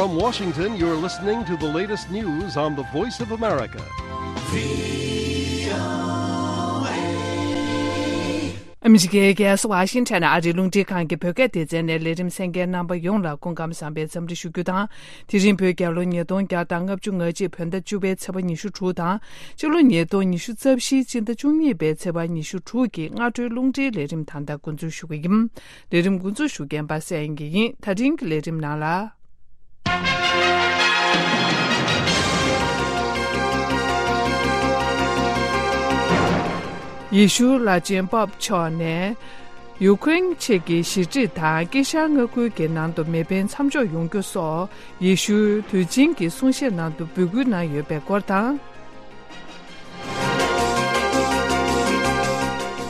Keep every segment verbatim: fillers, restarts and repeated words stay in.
From Washington, you're listening to the latest news on the Voice of America. ཨ་མི་རི་ཀའི་རྒྱལ་ས་ཝ་ཤིང་ཊོན་ཨ་རིའི་རླུང་འཕྲིན་ཁང་གི་བོད་སྐད་སྡེ་ཚན་ནས་ལས་རིམ་གསན་མཁན་རྣམ་པ་ཡོངས་ལ་སྐུ་ཁམས་བཟང་པའི་འཚམས་འདྲི་ཞུ་རྒྱུ་དང་། དེ་རིང་བོད་རྒྱལ་ལོ་ཉིས་སྟོང་བརྒྱ་དང་ལྔ་བཅུ་ང་གཅིག་བོད་ཟླ་བཅུ་པའི་ཚེས་པ་ཉི་ཤུ་དྲུག་དང་། སྤྱི་ལོ་ཉིས་སྟོང་ཉི་ཤུ་རྩ་བཞིའི་སྤྱི་ཟླ་བཅུ་གཉིས་པའི་ཚེས་པ་ཉི་ཤུ་དྲུག་གི་སྔ་དྲོའི་རླུང་འཕྲིན་ལས་རིམ་ད་ལྟ་འགོ་འཛུགས་ཞུ་གི་ཡིན། ལས་རིམ་འགོ་འཛུགས་ཞུ་མཁན་པ་སངས་དབྱངས་སྐྱིད་ཡིན། ད་རིང་གི་ལས་རིམ་ནང་ལ། ཡེ་ཤུ་བླ་ཆེན་པོབ་མཆོག་ནས་ཡུ་ཁུ་རེན་ཆེད་ཀྱི་ཞི་འགྲིག་དང་དཀྱིལ་ཤར་མངའ་ཁུལ་གྱི་ནང་དུ་མེ་འཕེན་མཚམས་འཇོག་ཡོང་རྒྱུ་སོགས་ཡེ་ཤུའི་དུས་ཆེན་གྱི་གསུང་བཤད་ནང་དུ་འབོད་སྐུལ་གནང་ཡོད་པའི་སྐོར་དང་།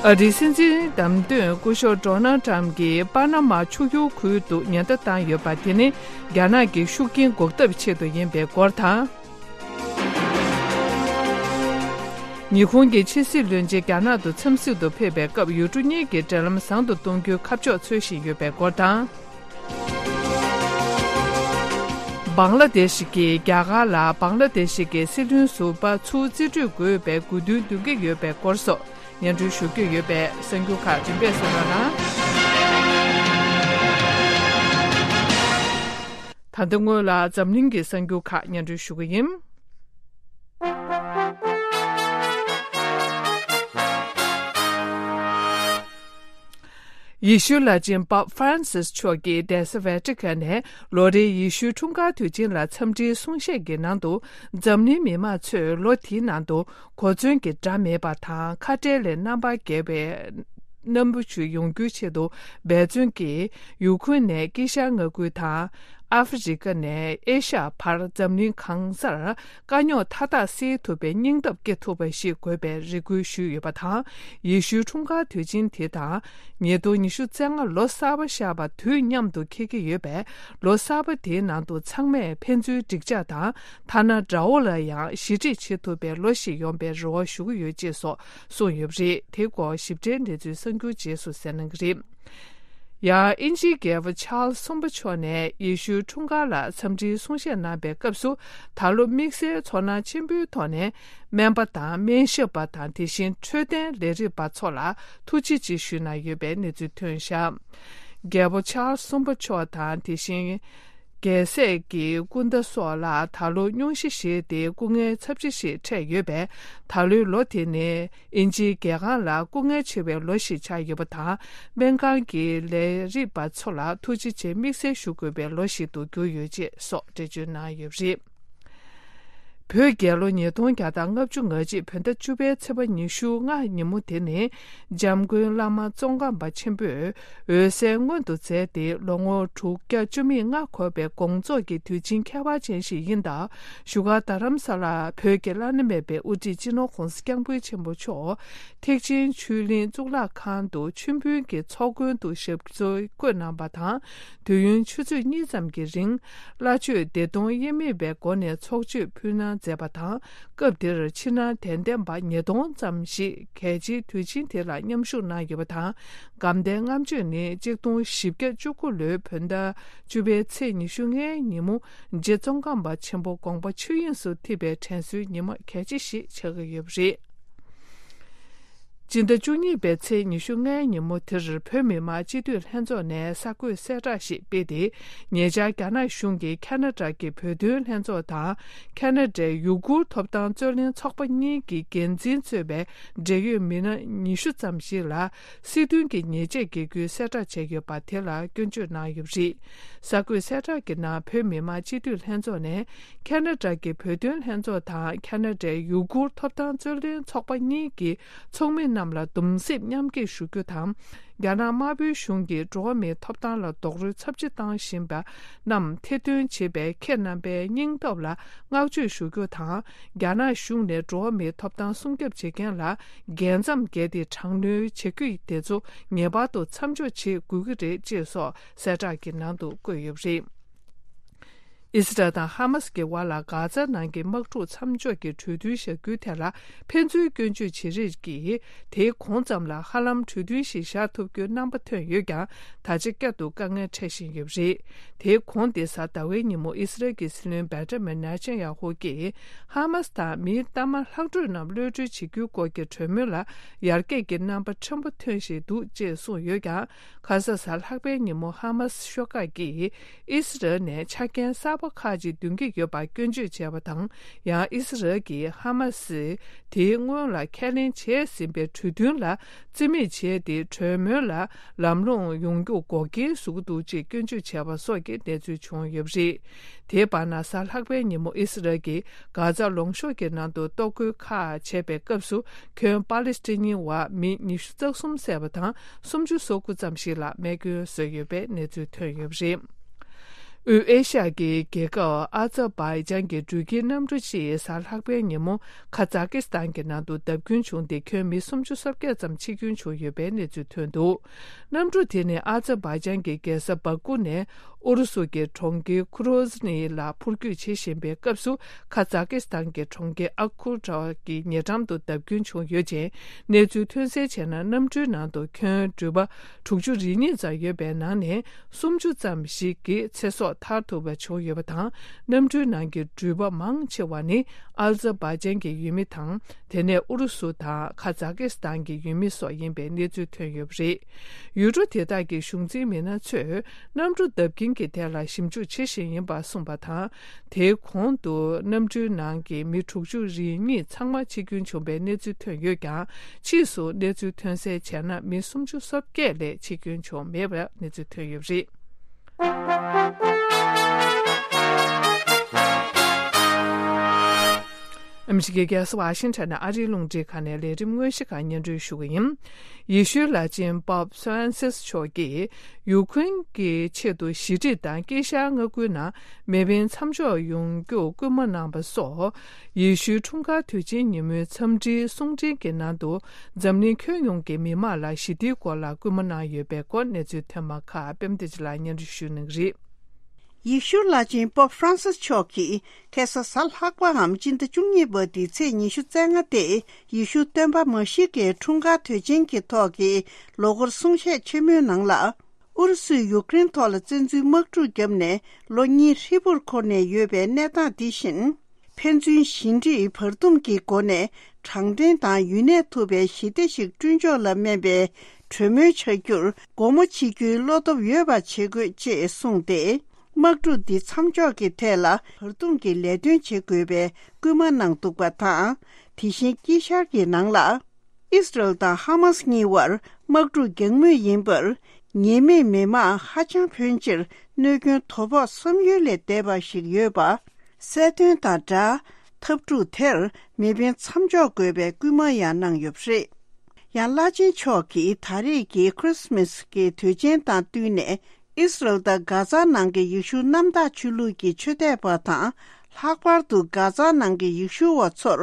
ཨ་རིའི་སྲིད་འཛིན་བདམས་ཐོན་སྐུ་ཞབས་ཌོ་ནལ་ཏྲམ་གྱིས་པ་ན་མ་ཆུ་ཡུར་ཁུལ་དུ་ཉེན་བརྡ་བཏང་ཡོད་པ་དེ་ནི་རྒྱ་ནག་གི་ཤུགས་རྐྱེན་འགོག་ཐབས་ཆེད་དུ་ཡིན་པའི་སྐོར་དང་། ཉི་ཧོང་གི་ཕྱི་སྲིད་བློན་ཆེན་རྒྱ་ནག་ཏུ་འཚམས་གཟིགས་དུ་ཕེབས་པའི་སྐབས་ཡུལ་གྲུ་གཉིས་ཀྱི་འབྲེལ་ལམ་བཟང་དུ་གཏོང་རྒྱུའི་ཁ་ཕྱོགས་འཚོལ་བཞིན་ཡོད་པའི་སྐོར་དང་། བང་ལ་དེ་ཤི་གིས་རྒྱ་གར་ལ་བང་ལ་དེ་ཤི་གི་སྲིད་བློན་ཟུར་པ་ཚུར་རྩིས་སྤྲོད་དགོས་པའི་དགོས་འདུན་འདོན་གྱི་ཡོད་པའི་སྐོར་སོགས་སྙན་སྒྲོན་ཞུ་རྒྱུ་ཡོད་པས་གསར་འགྱུར་ཁག་རིམ་པས་གསན་རོགས་གནང་། ད་ལྟ་སྔོན་ལ་འཛམ་གླིང་གི་གསར་འགྱུར་ཁག་སྙན་སྒྲོན་ཞུ་གི་ཡིན། ཡེ་ཤུའི་བླ་ཆེན་པོབ་ཧྥ་རན་སིས་མཆོག་གིས་རྡ་ས་ཝེ་ཏི་ཀན་ནས་ལོ་རེའི་ཡེ་ཤུའི་འཁྲུངས་སྐར་དུས་ཆེན་ལ་འཚམས་འདྲིའི་གསུང་བཤད་ཀྱི་ནང་དུ། འཛམ་གླིང་མི་མང་ཚོས་ལོ་དེའི་ནང་དུ་གོ་མཚོན་གྱི་སྒྲ་མེད་པ་དང་ཁ་བྲལ་ལས་རྣམ་པར་རྒྱལ་བའི་རྣམ་པ་ཞིག་ཡོང་རྒྱུའི་ཆེད་དུ་འབད་བརྩོན་གྱིས་ཡུ་ཁུ་རེན་ནས་དཀྱིལ་ཤར་མངའ་ཁུལ་དང་། ཨ་ཧྥེ་རི་ཀ་ནས་ཨེ་ཤ་ཡ་བར་འཛམ་གླིང་གང་སར་དཀའ་རྙོག་མཐའ་དག་སེལ་ཐུབ་པའི་སྙིང་སྟོབས་སྐྱེ་ཐུབ་པ་ཞིག་དགོས་པའི་རེ་སྐུལ་ཞུས་ཡོད་པ་དང་། ཡེ་ཤུའི་འཁྲུངས་སྐར་དུས་ཆེན་དེ་དང་ཉིས་སྟོང་ཉི་ཤུ་རྩ་ལྔ་ལོ་གསར་པ་ཤར་བ་དུས་མཉམ་དུ་འཁེལ་གྱི་ཡོད་པས། ལོ་གསར་པ་དེའི་ནང་དུ་ཚང་མས་ཕན་ཚུན་འགྲིག་འཇགས་དང་། ཐ་ན་དགྲ་བོ་ལ་ཡང་ཞི་འགྲིག་བྱེད་ཐུབ་པའི་ལོ་ཞིག་ཡོང་པའི་རེ་བ་ཞུ་གི་ཡོད་ཅེས་སོགས་གསུངས་ཡོད་པ་རེད། དེའི་སྐོར་ཞིབ་ཕྲའི་གནས་ཚུལ་གསར་འགྱུར་རྗེས་སུ་གསན་གནང་གི་རེད། ཡང་དབྱིན་ཇིའི་རྒྱལ་པོ་ཆཱལ་སི་གསུམ་པ་མཆོག་ནས་ཡེ་ཤུའི་འཁྲུངས་སྐར་ལ་འཚམས་འདྲིའི་གསུང་བཤད་གནང་པའི་སྐབས་སུ། ད་ལོ་དམིགས་བསལ་ཚོར་སྣང་ཆེན་པོའི་ཐོག་ནས་སྨན་པ་དང་སྨན་ཞབས་པ་དང་། དེ་བཞིན་འཕྲོད་བསྟེན་ལས་རིགས་པ་ཚོ་ལ་ཐུགས་རྗེ་ཆེ་ཞུས་གནང་ཡོད་པའི་གནས་ཚུལ་ཐོན་བཞག་རྒྱལ་པོ་ཆཱལ་སི་གསུམ་པ་མཆོག་དང་། དེ་བཞིན་རྒྱལ་སྲས་ཀྱི་སྐུ་ཟླ་སོགས་ལ་ད་ལོ་སྙུང་གཞི་བཞེས་ཏེ་སྐུ་ངལ་ཚབས་ཆེ་ཞིག་འཕྲད་ཡོད་པས། ད་ལོའི་ལོ་དེ་ནི་དབྱིན་ཇིའི་རྒྱལ་ཁང་ལ་སྐུ་ངལ་ཆེ་བའི་ལོ་ཞིག་ཆགས་ཡོད་པ་དང་། སྨན་ཁང་གི་ལས་རིགས་པ་ཚོ་ལ་ཐུགས་རྗེ་ཆེ་དམིགས་བསལ་ཞུ་དགོས་པའི་ལོ་ཞིག་ཏུ་གྱུར་ཡོད་ཅེས་སོགས་འགྲེལ་བརྗོད་གནང་ཡོད་པ་རེད། བོད་རྒྱལ་ལོ་ཉིས་སྟོང་བརྒྱ་དང་ལྔ་བཅུ་ང་གཅིག་བོད་ཟླ་བཅུ་པའི་ཚེས་པ་ཉི་ཤུ་ལྔ་ཉིན་མོ་དེ་ནི། འཇམ་མགོན་བླ་མ་ཙོང་ཁ་པ་ཆེན་པོས་འོད་གསལ་མངོན་དུ་མཛད་དེ། ལོ་ངོ་དྲུག་བརྒྱ་བཅུ་མེད་ལྔ་འཁོར་བའི་དགོངས་རྫོགས་ཀྱི་དུས་ཆེན་ཁྱད་པར་ཅན་ཞིག་ཡིན་སྟབས། བཞུགས་སྒར་རྡ་རམ་ས་ལར་བོད་ཀྱི་བླ་ན་མེད་པའི་དབུ་ཁྲིད་སྤྱི་ནོར་༸གོང་ས་༸སྐྱབས་མགོན་ཆེན་པོ་མཆོག་ཐེག་ཆེན་ཆོས་གླིང་གཙུག་ལག་ཁང་དུ་མཆོད་འབུལ་གྱི་ཚོགས་མགོན་དུ་ཞབས་སོར་བཀོད་གནང་བ་དང་། དུས་ཡུན་ཆུ་ཚོད་གཉིས་ཙམ་གྱི་རིང་བླ་མཆོད་བདེ་སྟོང་དབྱེར་མེད་པའི་སྒོ་ནས་ཚོགས་མཆོད་ཕུལ་གནང་མཛད་པ་དང་། སྐབས་དེར་ཕྱི་ནང་དད་ལྡན་པ་ཉིས་སྟོང་ཙམ་ཞིག་གལ་ཆེའི་དུས་ཆེན་དེ་ལ་མཉམ་ཞུགས་གནང་ཡོད་པ་དང་། དགའ་ལྡན་ལྔ་མཆོད་ནི་གཅིག་སྟོང་བཞི་བརྒྱ་བཅུ་དགུ་ལོའི་བོད་ཟླ་བཅུ་པའི་ཚེས་ཉི་ཤུ་ལྔའི་ཉིན་མོ། རྗེ་ཙོང་ཁ་པ་ཆེན་པོ་དགོངས་པ་ཆོས་དབྱིངས་སུ་ཐིམ་པའི་དྲན་གསོའི་ཉིན་མོ་གལ་ཆེ་ཞིག་ཆགས་ཀྱི་ཡོད་པ་རེད། སྤྱི་ཟླ་བཅུ་གཉིས་པའི་ཚེས་ཉི་ཤུ་ལྔའི་ཉིན་མོ་དེར་བོད་མི་མང་སྤྱི་འཐུས་ལྷན་ཚོགས་ནས་གསར་འགོད་གསལ་བསྒྲགས་ཤིག་སྤེལ་ཏེ། ཉེ་ཆར་རྒྱ་ནག་གཞུང་གིས་ཁ་ན་ཌ་གི་བོད་དོན་ལྷན་ཚོགས་དང་། ཁ་ན་ཌའི་ཡུ་གུར་ཐོབ་ཐང་རྩོད་ལེན་ཚོགས་པ་གཉིས་ཀྱི་འགན་འཛིན་གཙོས་པའི་འབྲེལ་ཡོད་མི་སྣ་ཉི་ཤུ་ཙམ་ཞིག་ལ། སྲིད་དོན་གྱི་ཉེས་ཆད་འགེལ་རྒྱུའི་གསལ་བསྒྲགས་བྱས་ཡོད་པ་དེ་ལ་སྐྱོན་བརྗོད་གནང་ཡོད་པ་རེད། གསར་འགོད་གསལ་བསྒྲགས་ཀྱི་ནང་བོད་མི་མང་སྤྱི་འཐུས་ལྷན་ཚོགས་ནས་ཁ་ན་ཌ་གི་བོད་དོན་ལྷན་ཚོགས་དང་ཁ་ན་ཌའི་ཡུ་གུར་ཐོབ་ཐང་རྩོད་ལེན་ཚོགས་པ་གཉིས་ཀྱི་ཚོགས་མི་རྣམས་ལ་གདུང་སེམས་མཉམ་སྐྱེད་ཞུ་རྒྱུ་དང་། རྒྱ་ནག་དམར་པོའི་གཞུང་གིས་འགྲོ་བ་མིའི་ཐོབ་ཐང་ལ་རྡོག་རོལ་ཚབས་ཆེ་བཏང་བཞིན་པ་རྣམས་ཐེར་འདོན་བྱེད་པའི་ཁྱེད་རྣམ་པའི་སྙིང་སྟོབས་ལ་བསྔགས་བརྗོད་ཞུ་རྒྱུ་དང་། རྒྱ་ནག་གཞུང་ནས་འགྲོ་བ་མིའི་ཐོབ་ཐང་སྲུང་སྐྱོབ་བྱེད་མཁན་ལ། རྒྱལ་མཚམས་བརྒལ་ཏེ་དྲག་གནོན་བྱེད་རྒྱུ་དེ་ཚོ་ངེས་པར་དུ་མཚམས་འཇོག་བྱེད་དགོས་ཀྱི་རེད་ཅེས་སོགས་གསལ་བསྒྲགས་ཀྱི་ནང་དུ་བཀོད་ཡོད་པ་རེད། ཨི་སི་རལ་དང་ཧ་མ་སི་གི་བར་ལ་གྷ་ཛ་ནང་གི་དམག་འཁྲུག་མཚམས་འཇོག་གི་གྲོས་མཐུན་བཞག་རྒྱུའི་ཐད་ལ་ཕན་ཚུན་སྐྱོན་བརྗོད་བྱེད་རེས་ཀྱིས། དེའི་གོང་ཙམ་ལ་ཧ་ལམ་གྲོས་མཐུན་ཞིག་བཞག་ཐུབ་རྒྱུའི་རྣམ་པ་ཐོན་ཡོད་ཀྱང་། ད་ཆ་བསྐྱར་དུ་དཀའ་ངལ་འཕྲད་བཞིན་ཡོད་པ་རེད། དེའི་གོང་སྟེ་གཟའ་ཟླ་བའི་ཉིན་མོ་ཨི་སི་རལ་གྱི་སྲིད་བློན་བེན་ཇ་མིན་ནེ་ཐན་ཡ་ཧུ་གྱིས། ཧ་མ་སི་དང་མིའི་གཏའ་མ་ལྷག་འཕྲོས་རྣམས་གློད་གྲོལ་བྱེད་རྒྱུའི་སྐོར་གྱི་གྲོས་མོལ་ལ་ཡར་རྒྱས་ཀྱི་རྣམ་པ་ཕྲན་བུ་ཐོན་བཞིན་འདུག་ཅེས་གསུངས་ཡོད་ཀྱང་། ཁ་ས་གཟའ་ལྷག་པའི་ཉིན་མོ་ཧ་མ་སི་ཤོག་ཁག་གིས་ཨི་སི་རལ་ནས་ཆ་རྐྱེན་གསར་པ་ཁག་ཅིག་འདོན་གྱི་ཡོད་པར་སྐྱོན་བརྗོད་བྱས་པ་དང་། ཡང་ཨི་སི་རལ་གྱིས་ཧ་མ་སི་དེའི་སྔོན་ལ་ཁས་ལེན་བྱས་ཟིན་པའི་གྲོས་མཐུན་ལ་རྩིས་མེད་བྱས་ཏེ། གྲོས་མོལ་ལ་ལམ་ལྷོང་ཡོང་རྒྱུར་འགོག་རྐྱེན་བཟོ་གི་འདུག་ཅེས་སྐྱོན་བརྗོད་བྱས་པ་སོགས་ཀྱི་གནས་ཚུལ་བྱུང་ཡོད་པ་རེད། དེའི་བར་ན་གཟའ་ལྷག་པའི་ཉིན་མོ་ཨི་སི་རལ་གྱིས་གྷ་ཛ་ལུང་གཤོང་གི་ནང་དུ་གཏོར་རྒོལ་ཁག་བྱས་པའི་སྐབས་སུ། ཁྱོན་པ་ལི་སི་ཐན་ནི་བ་མི་ཉི་ཤུ་རྩ་གསུམ་བསད་པ་དང་། སུམ་ཅུ་སོ་དགུ་ཙམ་ཞིག་ལ་རྨས་སྐྱོན་བཟོས་ཡོད་པའི་གནས་ཚུལ་ཐོན་ཡོད་པ་རེད། དབུས་ཨེ་ཤ་ཡ་གི་རྒྱལ་ཁབ་ཨ་ཛར་བྷའི་ཇན་གྱི་འགྲུལ་སྐྱེལ་གནམ་གྲུ་གཅིག་གཟའ་ལྷག་པའི་ཉིན་མོ་ཁ་ཛ་ཀི་སི་ཐན་གྱི་ནང་དུ་བརྡབ་སྐྱོན་བྱུང་སྟེ། ཁྱོན་མི་སུམ་ཅུ་སོ་བརྒྱད་ཙམ་འཆི་སྐྱོན་བྱུང་ཡོད་པའི་གནས་ཚུལ་ཐོན་འདུག་གནམ་གྲུ་དེ་ནི་ཨ་ཛར་བྷའི་ཇན་གྱི་རྒྱལ་ས་བྷ་ཀུ་ནས་ཨུ་རུ་སུ་གྱི་གྲོང་ཁྱེར་ཁུ་རོ་ཟི་ནི་ལ་འཕུར་སྐྱོད་བྱེད་བཞིན་པའི་སྐབས་སུ། ཁ་ཛ་ཀི་སི་ཐན་གྱི་གྲོང་ཁྱེར་ཨ་ཁུ་ཊ་གྱི་ཉེ་འགྲམ་དུ་བརྡབ་སྐྱོན་བྱུང་ཡོད་ཅིང་། གནས་ཚུལ་ཐོན་གསལ་བྱས་ན། གནམ་གྲུའི་ནང་དུ་ཁྱོན་འགྲུལ་པ་དྲུག་ཅུ་རེ་གཉིས་ཙམ་ཡོད་པའི་ནང་ནས། སུམ་ཅུ་ཙམ་ཞིག་གི་ཚེ་སྲོག་ཐར་ཐུབ་པ་བྱུང་ཡོད་པ་དང་། གནམ་གྲུའི་ནང་གི་འགྲུལ་པ་མང་ཆེ་བ་ནི་ཨ་ཛར་བྷའི་ཇན་གྱི་ཡུལ་མི་དང་། དེ་ནས་ཨུ་རུ་སུ་དང་ཁ་ཛ་ཀི་སི་ཐན་གྱི་ཡུལ་མི་སོགས་ཡིན་པའི་གནས་ཚུལ་ཐོན་ཡོད་པ་རེད། ཡུལ་གྲུ་དེ་དག་གི་གཞུང་འཛིན་མི་སྣ་ཚོས་གནམ་གྲུ་བརྡབ་རྐྱེན་གྱི་ཐད་ལ་ཞིབ་འཇུག་བྱེད་བཞིན་ཡིན་པ་གསུངས་པ་དང་། དེའི་གོང་དུ་གནམ་གྲུའི་ནང་གི་མི་དྲུག་ཅུ་རེ་གཉིས་ཚང་མ་འཆི་སྐྱོན་བྱུང་བའི་གནས་ཚུལ་ཐོན་ཡོད་ཀྱང་། ཕྱིས་སུ་གནས་ཚུལ་ཐོན་གསལ་བྱས་ན། མི་སུམ་ཅུ་སོ་བརྒྱད་ལས་འཆི་སྐྱོན་བྱུང་མེད་པའི་གནས་ཚུལ་ཐོན་ཡོད་པ་རེད། ཨ་མི་རི་ཀའི་རྒྱལ་ས་ཝ་ཤིང་ཊོན་ནས་ཨ་རིའི་རླུང་འཕྲིན་ཁང་ནས་ལས་རིམ་དངོས་གཞི་ཁག་སྙན་སྒྲོན་ཞུ་གི་ཡིན། ཡེ་ཤུའི་བླ་ཆེན་པོབ་ཧྥ་རན་སིས་མཆོག་གིས་ཡུ་ཁུ་རེན་གྱི་ཆེད་དུ་ཞི་འགྲིག་དང་དཀྱིལ་ཤར་མངའ་ཁུལ་ནང་མེ་འཕེན་མཚམས་འཇོག་ཡོང་རྒྱུར་སྐུལ་མ་གནང་བ་སོགས། ཡེ་ཤུའི་འཁྲུངས་སྐར་དུས་ཆེན་ཉིན་མོའི་འཚམས་འདྲིའི་གསུང་འཕྲིན་གྱི་ནང་དུ། འཛམ་གླིང་ཁྱོན་ཡོངས་ཀྱི་མི་དམངས་ལ་ཞི་བདེའི་སྐོར་ལ་སྐུལ་མ་གནང་ཡོད་པའི་སྐོར། གནས་ཚུལ་ཐོན་མ་ཁག་པད་མ་བདེ་ཆེན་ལགས་སྙན་སྒྲོན་ཞུ་གནང་གི་རེད། ཡེ་ཤུ་བླ་ཆེན་པོབ་ཧྥ་རན་སིས་མཆོག་གིས་ཁ་སང་གཟའ་ལྷག་པའམ་སྤྱི་ཟླ་བཅུ་གཉིས་པ་འདིའི་ཚེས་ཉི་ཤུ་རྩ་ལྔ་སྟེ། ཡེ་ཤུ་སྟོན་པ་མ་ཤི་ཀའི་འཁྲུངས་སྐར་དུས་ཆེན་གྱི་ཐོག་གི་ལོ་འཁོར་གསུང་བཤད་ཆེན་མོའི་ནང་ལ། ཨུ་རུ་སུས་ཡུ་ཀེ་རེན་ཐོག་ལ་བཙན་འཛུལ་དམག་འཁྲུག་བརྒྱབ་ནས་ལོ་གཉིས་ཧྲིལ་པོར་འཁོར་ནས་ཡོད་པའི་གནས་སྟངས་འདི་བཞིན། ཕན་ཚུན་ཞི་འགྲིག་བར་འདུམ་གྱི་སྒོ་ནས་དྲང་བདེན་དང་ཡུན་གནས་ཐུབ་པའི་ཞི་བདེ་ཞིག་བསྐྲུན་ཕྱོགས་ལ་སྨན་པའི་གྲོས་མོལ་བྱ་རྒྱུར་སྒོ་མོ་ཕྱེ་རྒྱུའི་བློ་སྟོབས་ཡོད་པ་བྱེད་དགོས་ཅེས་གསུངས་ཏེ། དམག་འཁྲུག་འདི་མཚམས་འཇོག་གི་ཐད་ལ་བར་འདུམ་གྱི་ལས་དོན་བྱེད་དགོས་པའི་སྐུལ་མ་གནང་འདུག་པ་དང་། དེ་བཞིན་དཀྱིལ་ཤར་གྱི་ནང་ལ། ཨིས་རལ་དང་ཧ་མཱས་གཉིས་བར་དམག་འཁྲུག་རྒྱག་མུས་ཡིན་པར། ཉེས་མེད་མི་དམངས་ཧ་ཅང་ཕོན་ཆེར་གནོད་སྐྱོན་དོ་ཕོག་བསམ་ཡུལ་ལས་འདས་པ་ཞིག་ཡོད་པ། གསལ་སྟོན་དང་སྦྲགས། འཐབ་འཁྲུག་དེར་མེ་འཕེན་མཚམས་འཇོག་དགོས་པའི་སྐུལ་མ་ཡང་གནང་ཡོད་པ་རེད། ཡང་བླ་ཆེན་མཆོག་གིས་ད་རེས་ཀྱི་ཁྲི་སི་མཱས་ཀྱི་དུས་ཆེན་དང་བསྟུན་ནས། ཨིས་རལ་དང་གྷ་ཛ་ནང་གི་ཡེ་ཤུ་གནམ་བདག་ཆོས་ལུགས་ཀྱི་ཆོས་དད་པ་དང་། ལྷག་པར་དུ་གྷ་ཛ་ནང་གི་ཡེ་ཤུ་བ་ཚོར་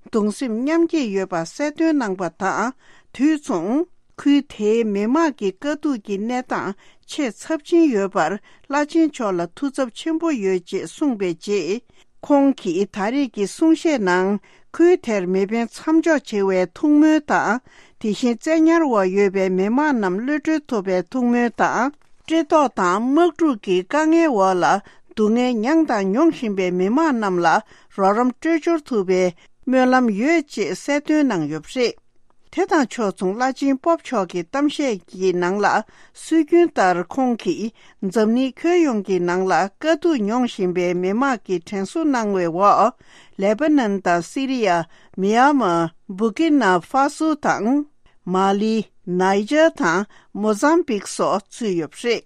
གདུང་སེམས་མཉམ་སྐྱེད་ཡོད་པ་གསལ་སྟོན་གནང་པ་དང་། དུས་མཚུངས། ཁུལ་དེའི་མི་དམངས་ཀྱི་དཀའ་སྡུག་གི་གནས་སྟངས་ཆེས་ཚབས་ཆེན་ཡོད་པར་བླ་ཆེན་མཆོག་ལ་ཐུགས་འཚབ་ཆེན་པོ་ཡོད་ཅེས་གསུངས་པའི་རྗེས། ཁོང་གིས་ད་རེས་ཀྱི་གསུང་བཤད་ནང་ཁུལ་དེར་མེ་འཕེན་མཚམས་འཇོག་བྱེད་པའི་ཐུགས་སྨོན་དང་། དེ་བཞིན་བཙན་ཉར་འོག་ཡོད་པའི་མི་དམངས་རྣམས་གློད་གྲོལ་ཐུབ་པའི་ཐུགས་སྨོན་དང་། བཀྲེས་ལྟོགས་དང་དམག་འཁྲུག་གི་དཀའ་ངལ་འོག་ལ་སྡུག་བསྔལ་མྱངས་དང་མྱོང་བཞིན་པའི་མི་དམངས་རྣམས་ལ་རོགས་རམ་སྤྲོད་འབྱོར་ཐུབ་པའི་སྨོན་ལམ་ཡོད་ཅེས་གསལ་སྟོན་གནང་ཡོད་པ་རེད། དེ་དང་ཕྱོགས་མཚུངས། བླ་ཆེན་པོབ་མཆོག་གི་གཏམ་བཤད་ཀྱི་ནང་ལ། སྲོལ་རྒྱུན་ལྟར་ཁོང་གིས་འཛམ་གླིང་ཁྱོན་ཡོངས་ཀྱི་ནང་ལ་དཀའ་སྡུག་མྱོང་བཞིན་པའི་མི་དམངས་ཀྱི་དྲན་གསོ་གནང་བའི་འོག་ལེ་པ་ནན་དང་སི་རི་ཡ། མྱན་མར། བུར་ཀི་ན་ཧྥ་སོ་དང་། མ་ལི། ནཱི་ཇར་དང་མོ་ཟམ་བིག་སོགས་ཚུད་ཡོད་པ་རེད།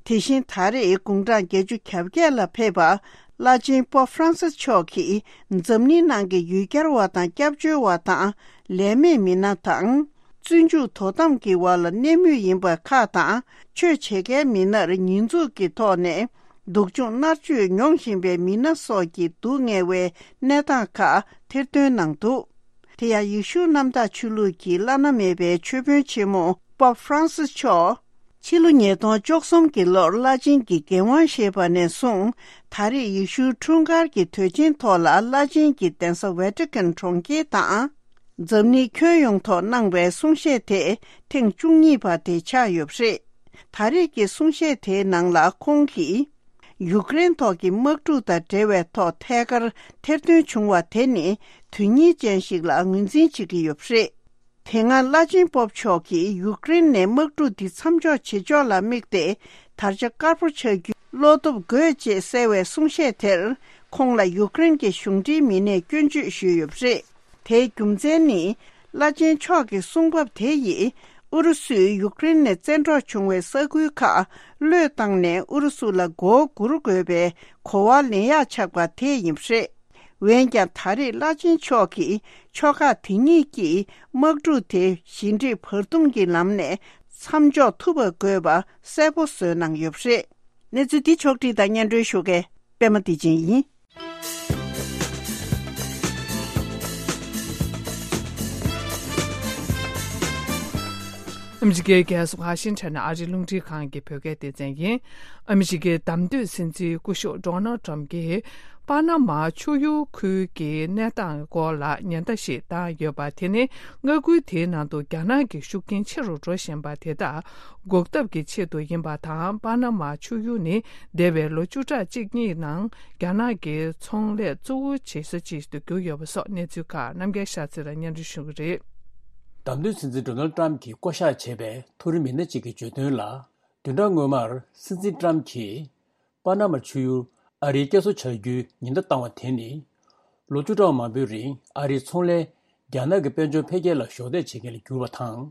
དེ་བཞིན་ད་རེས་དགུང་གྲངས་བརྒྱད་ཅུ་གྱ་བརྒྱད་ལ་ཕེབས་པ། བླ་ཆེན་པོབ་ཧྥ་རན་སིས་མཆོག་གིས་འཛམ་གླིང་ནང་གི་ཡུལ་གྱར་བ་དང་སྐྱབས་བཅོལ་བ་དང་ལས་མེད་མི་སྣ་དང་། བཙོན་འཇུག་དོ་དམ་གྱི་འོག་ལ་གནས་མུས་ཡིན་པ་ཁག་དང་། ཆོས་བྱེད་མཁན་མི་སྣར་ཉེས་འཛུགས་ཀྱི་ཐོག་ནས་སྡུག་སྦྱོང་མནར་གཅོད་མྱོང་བཞིན་པའི་མི་སྣ་སོགས་ཀྱི་སྡུག་བསྔལ་བའི་གནས་སྟངས་ཁག་ཐེར་འདོན་གནང་འདུག་དེ་ཡང་ཡེ་ཤུ་གནམ་བདག་ཆོས་ལུགས་ཀྱི་བླ་ན་མེད་པའི་ཆོས་དཔོན་ཆེན་མོ་པོབ་ཧྥ་རན་སིས་མཆོག་ཕྱི་ལོ་ཉིས་སྟོང་བཅུ་གསུམ་གྱི་ལོར་བླ་ཆེན་གྱི་འགན་དབང་བཞེས་པ་ནས་བཟུང་། ད་རེས་ཡེ་ཤུའི་འཁྲུངས་སྐར་གྱི་དུས་ཆེན་ཐོག་ལ་བླ་ཆེན་གྱི་གདན་ས་ཝེ་ཏི་ཀན་གྲོང་ཁྱེར་དང་། འཛམ་གླིང་ཁྱོན་ཡོངས་ཐོག་གནང་བའི་གསུང་བཤད་དེ་ཐེངས་བཅུ་གཉིས་པ་དེ་ཆགས་ཡོད་པ་རེད། ད་རེས་ཀྱི་གསུང་བཤད་དེའི་ནང་ལ་ཁོང་གིས། ཡུཀ་རེན་ཐོག་གི་དམག་འཁྲུག་དང་འབྲེལ་བའི་ཐོག་ཐད་ཀར་ཐེར་འདོན་བྱུང་བ་དེ་ནི་དོན་སྙིང་ཅན་ཞིག་ལ་ངོས་འཛིན་བྱེད་ཀྱི་ཡོད་པ་རེད། དེ་སྔ་བླ་ཆེན་པོབ་མཆོག་གིས་ཡུཀ་རེན་ནས་དམག་འཁྲུག་འདི་མཚམས་འཇོག་བྱེད་ཕྱོགས་ལ་དམིགས་ཏེ། དར་ཆ་དཀར་པོ་འཆར་རྒྱུའི་བློ་སྟོབས་དགོས་ཅེས་གསལ་བའི་གསུང་བཤད་དེར། ཁོང་ལ་ཡུཀ་རེན་གྱི་གཞུང་འབྲེལ་མི་སྣས་སྐྱོན་བརྗོད་ཞུས་ཡོད་པ་རེད། དེའི་རྒྱུ་མཚན་ནི། བླ་ཆེན་མཆོག་གི་གསུང་བབ་དེ་ཡིས། ཨུ་རུ་སུས་ཡུཀ་རེན་ནས་བཙན་འཕྲོག་བྱུང་བའི་ས་ཁུལ་ཁག་བློས་བཏང་ནས་ཨུ་རུ་སུ་ལ་མགོ་སྒུར་དགོས་པའི་གོ་བ་ལེན་ཡག་ཆགས་པ་དེ་ཡིན་པ་རེད། འོན་ཀྱང་ད་རེས་བླ་ཆེན་མཆོག་གིས་ཕྱོགས་ཁག་དེ་གཉིས་ཀྱིས་དམག་འཁྲུག་དེ་ཞི་འགྲིག་བར་འདུམ་གྱི་ལམ་ནས་མཚམས་འཇོག་ཐུབ་པ་དགོས་པ་གསལ་པོ་བཟོས་གནང་ཡོད་པ་རེད། གནས་ཚུལ་འདི་ཕྱོགས་བསྒྲིགས་དང་སྙན་སྒྲོན་ཞུ་མཁན་པད་མ་བདེ་ཆེན་ཡིན། ཨ་མི་རི་ཀའི་རྒྱལ་ས་ཝ་ཤིང་ཊོན་ནས་ཨ་རིའི་རླུང་འཕྲིན་ཁང་གི་བོད་སྐད་སྡེ་ཚན་ཡིན། ཨ་མི་རི་ཀའི་བདམས་ཐོན་སྲིད་འཛིན་སྐུ་ཞབས་ཌོ་ནལ་ཊམ་གྱིས་པ་ན་མ་ཆུ་ཡུར་ཁུལ་གྱི་གནས་སྟངས་སྐོར་ལ་ཉེན་བརྡ་ཞིག་བཏང་ཡོད་པ་དེ་ནི་མངའ་ཁུལ་དེའི་ནང་དུ་རྒྱ་ནག་གི་ཤུགས་རྐྱེན་ཆེ་རུ་འགྲོ་བཞིན་པ་དེ་དག་འགོག་ཐབས་ཀྱི་ཆེད་དུ་ཡིན་པ་དང་། པ་ན་མ་ཆུ་ཡུར་ནི་འདས་པའི་ལོ་བཅུ་ཕྲག་གཅིག་གཉིས་ནང་རྒྱ་ནག་གི་ཚོང་ལས་གཙོ་བོ་བྱེད་ས་ཅིག་ཏུ་གྱུར་ཡོད་པ་སོགས་གནས་ཚུལ་ཁག་རྣམ་རྒྱལ་ཤཱ་ཚེ་ར་སྙན་སྒྲོན་ཞུ་གི་རེད། བདམས་ཐོན་སྲིད་འཛིན་ཌོ་ནལ་ཊམ་གྱིས་བསྐོ་གཞག་བྱས་པའི་མཐོ་རིམ་མི་སྣ་གཅིག་གིས་བརྗོད་དོན་ལ། བདུན་ཕྲག་སྔོན་མར་སྲིད་འཛིན་ཊམ་གྱིས་པ་ན་མ་ཆུ་ཡུར་ཨ་རིའི་བསྐྱར་གསོ་བྱ་རྒྱུའི་ཉེན་བརྡ་བཏང་བ་དེ་ནི། ལོ་བཅུ་ཕྲག་མང་པོའི་རིང་ཨ་རིའི་ཚོང་ལས་རྒྱ་ནག་གི་དཔལ་འབྱོར་འཕེལ་རྒྱས་ལ་གཞོགས་འདེགས་བྱེད་མཁན་ལ་གྱུར་བ་དང་།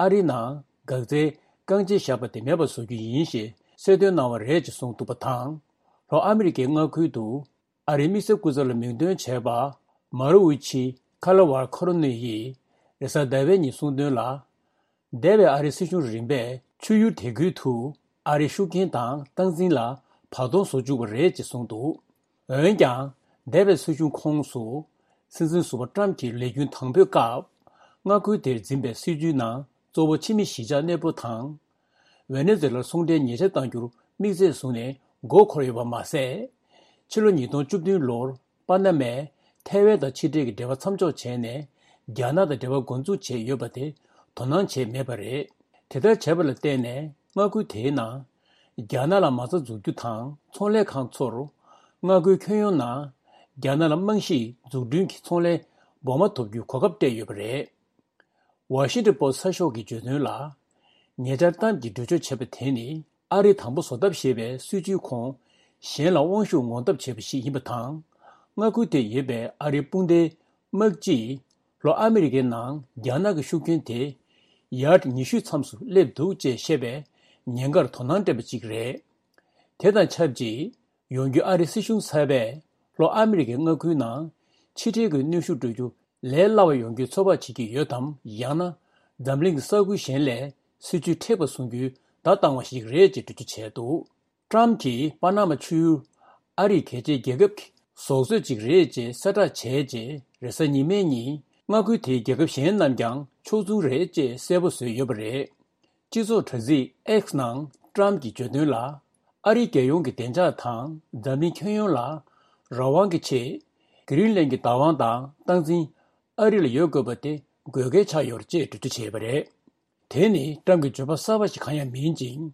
ཨ་རིའི་ནང་འགག་རྩའི་རྐང་རྗེས་བཞག་པ་དེ་མེད་པར་བཟོ་རྒྱུ་ཡིན་ཞེས་གསལ་སྟོན་གནང་བ་རེད་ཅེས་གསུངས་འདུག་པ་དང་། ལྷོ་ཨ་མི་རི་ཀའི་མངའ་ཁུལ་དུ་ཨ་རིའི་དམིགས་བསལ་སྐུ་ཚབ་ལ་མིང་འདོན་བྱས་པ་མཱ་རུ་ཝི་ཆི་ཁ་ལ་ཝར་ཁོ་རོ་ནི་ཡིས་རེས་གཟའ་ཟླ་བའི་ཉིན་གསུངས་དོན་ལ། འདས་པའི་ཨ་རིའི་སྲིད་གཞུང་རིམ་པས་ཆུ་ཡུར་དེ་ཁུལ་དུ་ཨ་རིའི་ཤུགས་རྐྱེན་དང་སྟངས་འཛིན་ལ་བར་སྟོང་བཟོ་བཅུག་པ་རེད་ཅེས་གསུངས་འདུག་འོན་ཀྱང་། འདས་པའི་སྲིད་གཞུང་ཁོངས་སུ། སྲིད་འཛིན་ཟུར་པ་ཊམ་གྱི་ལས་རྒྱུན་དང་པོའི་སྐབས། མངའ་ཁུལ་དེར་འཛིན་པའི་སྲིད་བྱུས་ནང་གཙོ་བོ་ཕྱི་མི་གཞིས་ཆགས་གནས་སྤོ་དང་། ཝེ་ནེ་ཛུ་ཝེ་ལར་ཚོང་འབྲེལ་ཉེས་ཆད་གཏང་རྒྱུར་དམིགས་ཚད་བཟུང་ནས་མགོ་འཁོར་ཡོད་པ་མ་ཟད། ཕྱི་ལོ་ཉིས་སྟོང་བཅུ་བདུན་ལོར་པ་ན་མས་ཐའེ་ཝན་དང་ཕྱི་འབྲེལ་གྱི་འབྲེལ་བ་མཚམས་འཇོག་བྱས་ནས་རྒྱ་ནག་དང་འབྲེལ་བ་འགོ་འཛུགས་བྱས་ཡོད་པ་དེ་དོ་སྣང་བྱས་མེད་པ་རེད། དེ་ལྟར་བྱས་པ་ལ་བརྟེན་ནས་མངའ་ཁུལ་དེའི་ནང་རྒྱ་ནག་ལ་མ་རྩ་འཛུགས་རྒྱུ་དང་ཚོང་ལས་ཁང་ཚོར་མངའ་ཁུལ་ཁྱོན་ཡོངས་ནང་རྒྱ་ནག་ལ་རྨང་གཞིའི་འཛུགས་སྐྲུན་གྱི་ཚོང་ལས་སྦོར་མ་ཐོབ་རྒྱུའི་གོ་སྐབས་སྤྲད་ཡོད་པ་རེད། ཝ་ཤིང་ཊོན་པོ་སི་ཊི་གསར་ཤོག་གིས་བརྗོད་དོན་ལ། ཉེ་ཆར་ཊམ་གྱིས་གྲོས་ཆོད་བྱས་པ་དེ་ནི་ཨ་རིས་དང་པོ་བཟོ་ཐབས་ཞེས་པའི་སྲིད་བྱུས་ཁོངས་གཞན་ལ་དབང་ཤུགས་ངོམ་ཐབས་བྱས་པ་ཞིག་ཡིན་པ་དང་། མངའ་ཁུལ་དེར་ཡོད་པའི་ཨ་རིའི་དཔུང་སྡེའི་དམག་སྤྱིས་ལྷོ་ཨ་མི་རི་ཀའི་ནང་རྒྱ་ནག་གི་ཤུགས་རྐྱེན་དེ་ཡར་ཉི་ཤུའི་མཚམས་སུ་སླེབས་འདུག་ཅེས་བཤད་པའི་ཉེན་ཁར་དོ་སྣང་སྤྲད་པ་ཅིག་རེད། དེ་དང་ཆབས་ཅིག་ཡོང་རྒྱུའི་ཨ་རིའི་སྲིད་གཞུང་གསར་པས་ལྷོ་ཨ་མི་རི་ཀའི་མངའ་ཁུལ་ནང་ཕྱི་འབྲེལ་གྱི་གནོན་ཤུགས་སྤྲོད་རྒྱུ་ལས་སླ་བ་ཡོང་རྒྱུའི་ཚོད་དཔག་བྱེད་ཀྱི་ཡོད་དམ། ཡང་ན་འཛམ་གླིང་གི་ས་ཁུལ་གཞན་ལས་སྲིད་བྱུས་མཁྲེགས་པ་བཟུང་རྒྱུའི་བརྡ་བཏང་བ་ཞིག་རེད་ཅེས་འགྲེལ་བརྗོད་བྱས་འདུག་ཊམ་གྱིས་པ་ན་མ་ཆུ་ཡུར་ཨ་རིའི་གལ་ཆེའི་རྒྱལ་ཁབ་ཀྱི་ཟོག་རྫས་ཅིག་རེད་ཅེས་གསལ་བསྒྲགས་བྱས་རྗེས། རེས་གཟའ་ཉི་མའི་ཉིན་མངའ་ཁུལ་དེའི་རྒྱལ་ཁབ་གཞན་རྣམས་ཀྱང་ཕྱོགས་མཚུངས་རེད་ཅེས་གསལ་པོ་བཟོས་ཡོད་པ་རེད། སྤྱི་ཚོགས་དྲ་ཚིགས་X་ནང་ཊམ་གྱིས་བརྗོད་དོན་ལ། ཨ་རིའི་རྒྱལ་ཡོངས་ཀྱི་བདེ་འཇགས་དང་འཛམ་གླིང་ཁྱོན་ཡོངས་ལ་རང་དབང་གི་ཆེད། གྷི་རིན་ལན་གྱི་བདག་དབང་དང་སྟངས་འཛིན་ཨ་རི་ལ་ཡོད་དགོས་པ་དེ་དགོས་གལ་ཆགས་ཡོད་རེད་ཅེས་འགྲེལ་བརྗོད་བྱས་པ་རེད། དེ་ནི་ཊམ་གྱི་བརྗོད་པ་གསར་པ་ཞིག་གང་ཡང་མིན་ཅིང་།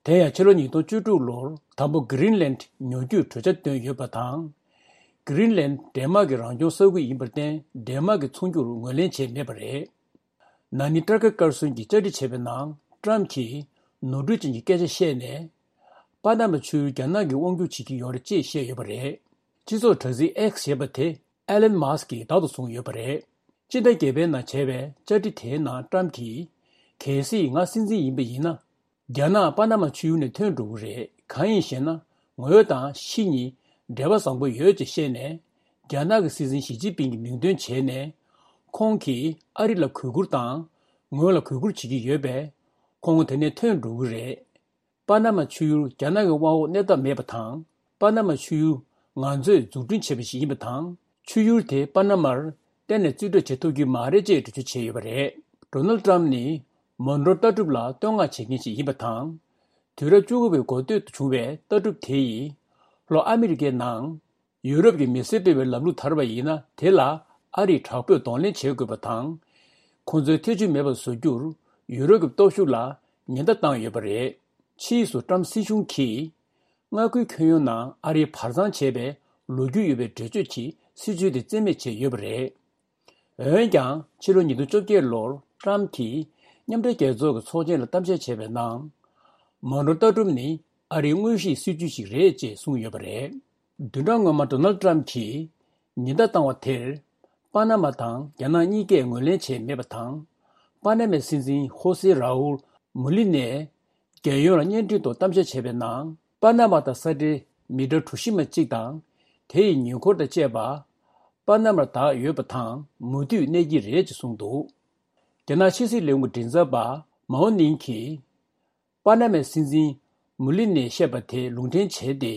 དེ་ཡང་ཕྱི་ལོ་ཉིས་སྟོང་བཅུ་དྲུག་ལོར་དང་པོ་གྷི་རིན་ལན་ཉོ་རྒྱུའི་གྲོས་འཆར་བཏོན་ཡོད་པ་དང་། གྷི་རིན་ལན་ཌེན་མཱག་གི་རང་སྐྱོང་ས་ཁུལ་ཡིན་པར་བརྟེན་ཌེན་མཱག་གི་ཚོང་རྒྱུར་ངོས་ལེན་བྱས་མེད་པ་རེད། ན་ནིང་ཊར་ཀར་ཀར་སོན་གྱིས་བཅར་འདྲི་བྱས་པའི་ནང་ཊམ་གྱིས་ནོར་འཁྲུལ་ཅན་གྱི་སྐད་ཆ་བཤད་ནས། པ་ན་མ་ཆུ་ཡུར་རྒྱ་ནག་གིས་དབང་སྒྱུར་བྱེད་ཀྱི་ཡོད་རེད་ཅེས་བཤད་ཡོད་པ་རེད། སྤྱི་ཚོགས་དྲ་ཚིགས་X་ཞེས་པ་དེ་ཨེ་ལན་མཱ་སི་ཀིས་བདག་ཏུ་བཟུང་ཡོད་པ་རེད། སྤྱི་ཟླ་བརྒྱད་པའི་ནང་བྱས་པའི་བཅར་འདྲི་དེའི་ནང་ཊམ་གྱིས། གལ་སྲིད་ང་སྲིད་འཛིན་ཡིན་པ་ཡིན་ན། རྒྱ་ནག་པ་ན་མ་ཆུ་ཡུར་ནས་ཐོན་འགྲོ་གི་རེད། གང་ཡིན་ཞེ་ན། ངོས་དང་ཕྱི་གཉིས་འབྲེལ་བ་བཟང་པོ་ཡོད་ཅེས་བཤད་ནས། རྒྱ་ནག་གི་སྲིད་འཛིན་ཞི་ཅིན་ཕིང་གི་མིང་འདོན་བྱས་ནས། ཁོང་གིས་ཨ་རི་ལ་གུས་བཀུར་དང་། ངོས་ལ་གུས་བཀུར་བྱེད་ཀྱི་ཡོད་པས། ཁོང་དེ་ནས་ཐོན་འགྲོ་གི་རེད། པ་ན་མ་ཆུ་ཡུར་རྒྱ་ནག་གི་དབང་འོག་གནས་ཐབས་མེད་པ་དང་། པ་ན་མ་ཆུ་ཡུར་ང་ཚོས་འཛུགས་སྐྲུན་བྱས་པ་ཞིག་ཡིན་པ་དང་། ཆུ་ཡུར་དེ་པ་ན་མར་གཏན་ནས་རྩིས་སྤྲོད་བྱེད་ཐུབ་ཀྱི་མ་རེད་ཅེས་འགྲེལ་བརྗོད་བྱས་ཡོད་པ་རེད། ཌོ་ནལ་ཊམ་ནི། མོན་གྲོ་ལྟ་གྲུབ་ལ་བསྟོད་བསྔགས་བྱེད་མཁན་ཞིག་ཡིན་པ་དང་། དུས་རབས་བཅུ་དགུ་པའི་འགོ་སྟོད་དུ་བྱུང་བའི་ལྟ་གྲུབ་དེ་ཡིས། ལྷོ་ཨ་མི་རི་ཀའི་ནང་ཡུ་རོབ་ཀྱི་མི་སེར་སྤེལ་བའི་ལམ་ལུགས་དར་བ་ཡིན་ན། དེ་ལ་ཨ་རིས་དྲག་པོས་གདོང་ལེན་བྱེད་དགོས་པ་དང་། ཁོང་ཚོའི་ཐེ་བྱུས་མེད་པར་བཟོ་རྒྱུར་ཡུ་རོབ་ཀྱི་སྟོབས་ཤུགས་ལ་ཉེན་བརྡ་བཏང་ཡོད་པ་རེད། ཕྱིས་སུ་ཀྲམ་སྲིད་གཞུང་གིས་མངའ་ཁུལ་ཁྱོན་ཡོངས་ནང་ཨ་རིའི་བར་གཙང་བྱས་པའི་ལོ་རྒྱུས་ཡོད་པའི་འགྲེལ་བརྗོད་ཀྱི་སྲིད་བྱུས་དེ་རྩིས་མེད་བྱས་ཡོད་པ་རེད། འོན་ཀྱང་། ཕྱི་ལོ་ཉིས་སྟོང་བཅོ་བརྒྱད་ལོར་ཀྲམ་གྱིས་མཉམ་འབྲེལ་རྒྱལ་ཚོགས་ཀྱི་ཚོགས་ཆེན་ལ་གཏམ་བཤད་བྱས་པའི་ནང་། མོན་གྲོ་ལྟ་གྲུབ་ནི་ཨ་རིའི་དངོས་གཞིའི་སྲིད་ཇུས་ཤིག་རེད་ཅེས་གསུངས་ཡོད་པ་རེད། བདུན་ཕྲག་སྔོན་མ་ཌོ་ནལ་ཏྲམ་གྱིས་ཉེན་བརྡ་བཏང་བ་དེར། པ་ན་མ་དང་རྒྱ་ནག་གཉིས་ཀས་ངོས་ལེན་བྱས་མེད་པ་དང་། པ་ན་མའི་སྲིད་འཛིན་ཧོ་སེ་རའུལ་མུ་ལི་ནས། རྒྱལ་ཡོངས་ལ་བརྙན་འཕྲིན་ཐོག་གཏམ་བཤད་བྱས་པའི་ནང་། པ་ན་མ་དང་ས་འབྲེལ་མི་ཊར་གྲུ་བཞི་མ་གཅིག་དང་། དེ་ཡི་ཉེ་འཁོར་དང་བཅས་པ། པ་ན་མར་བདག་ཡོད་པ་དང་མུ་མཐུད་གནས་ཀྱི་རེད་ཅེས་གསུངས་འདུག་རྒྱ་ནག་ཕྱི་སྲིད་ལས་ཁུངས་མགྲིན་ཚབ་པ་མའོ་ནིང་གིས། པ་ན་མའི་སྲིད་འཛིན་མུ་ལི་ནས་བཤད་པ་དེ་ལུང་འདྲེན་བྱས་ཏེ།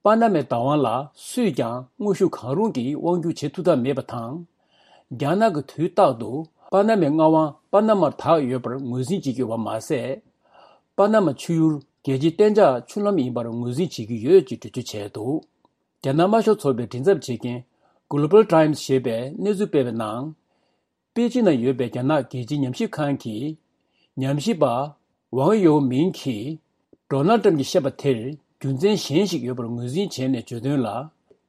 པ་ན་མའི་བདག་དབང་ལ་སུས་ཀྱང་དངོས་ཤུགས་གང་རུང་གིས་དབང་བསྒྱུར་བྱེད་ཐུབ་ཐབས་མེད་པ་དང་། རྒྱ་ནག་གིས་དུས་རྟག་ཏུ་པ་ན་མའི་མངའ་དབང་པ་ན་མར་དག་ཡོད་པར་ངོས་འཛིན་བྱེད་ཀྱི་ཡོད་པ་མ་ཟད། པ་ན་མ་ཆུ་ཡུར་རྒྱལ་སྤྱིའི་གཏན་འཇགས་ཆུ་ལམ་ཡིན་པར་ངོས་འཛིན་བྱེད་ཀྱི་ཡོད་ཅེས་འགྲེལ་བརྗོད་བྱས་འདུག་རྒྱ་ནག་དམར་ཤོག་ཚོགས་པའི་མགྲིན་ཚབ་བྱེད་མཁན་Global Times ཞེས་པས་གནས་ཚུལ་སྤེལ་བའི་ནང་། པེ་ཅིན་ན་ཡོད་པའི་རྒྱ་ནག་རྒྱལ་སྤྱིའི་ཉམས་ཞིབ་ཁང་གི་ཉམས་ཞིབ་པ་ཝང་ཡོ་མིང་གིས། ཌོ་ནལ་ཏྲམ་གྱིས་བཤད་པ་དེར་རྒྱུ་མཚན་གཞན་ཞིག་ཡོད་པར་ངོས་འཛིན་བྱས་ནས་བརྗོད་དོན་ལ།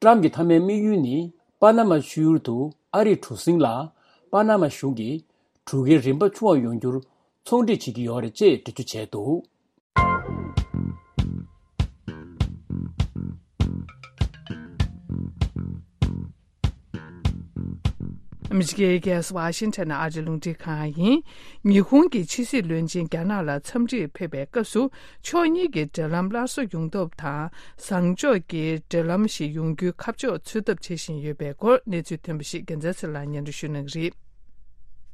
ཏྲམ་གྱི་མཐའ་མའི་དམིགས་ཡུལ་ནི། པ་ན་མ་ཆུ་ཡུར་དུ་ཨ་རིའི་གྲུ་གཟིངས་ལ། པ་ན་མ་གཞུང་གིས་གྲུ་ཁའི་རིན་པ་ཆུང་བ་ཡོང་རྒྱུར་ཚོང་འབྲེལ་བྱེད་ཀྱི་ཡོད་རེད་ཅེས་འགྲེལ་བརྗོད་བྱས་འདུག་ཨ་མི་རི་ཀའི་རྒྱལ་ས་ཝ་ཤིང་ཊོན་ནས་ཨ་རིའི་རླུང་འཕྲིན་ཁང་ཡིན། ཉི་ཧོང་གི་ཕྱི་སྲིད་བློན་ཆེན་རྒྱ་ནག་ལ་འཚམས་འདྲིར་ཕེབས་པའི་སྐབས་སུ། ཕྱོགས་གཉིས་ཀྱི་འབྲེལ་ལམ་སླར་གསོ་ཡོང་ཐབས་དང་། བཟང་ཕྱོགས་ཀྱི་འབྲེལ་ལམ་ཞིག་ཡོང་རྒྱུའི་ཁ་ཕྱོགས་འཚོལ་ཐབས་བྱེད་བཞིན་ཡོད་པའི་སྐོར་གནས་ཚུལ་ཐོན་པ་ཞིག་རྒྱལ་མཚན་ཚེ་ལགས་སྙན་སྒྲོན་ཞུ་གནང་གི་རེད།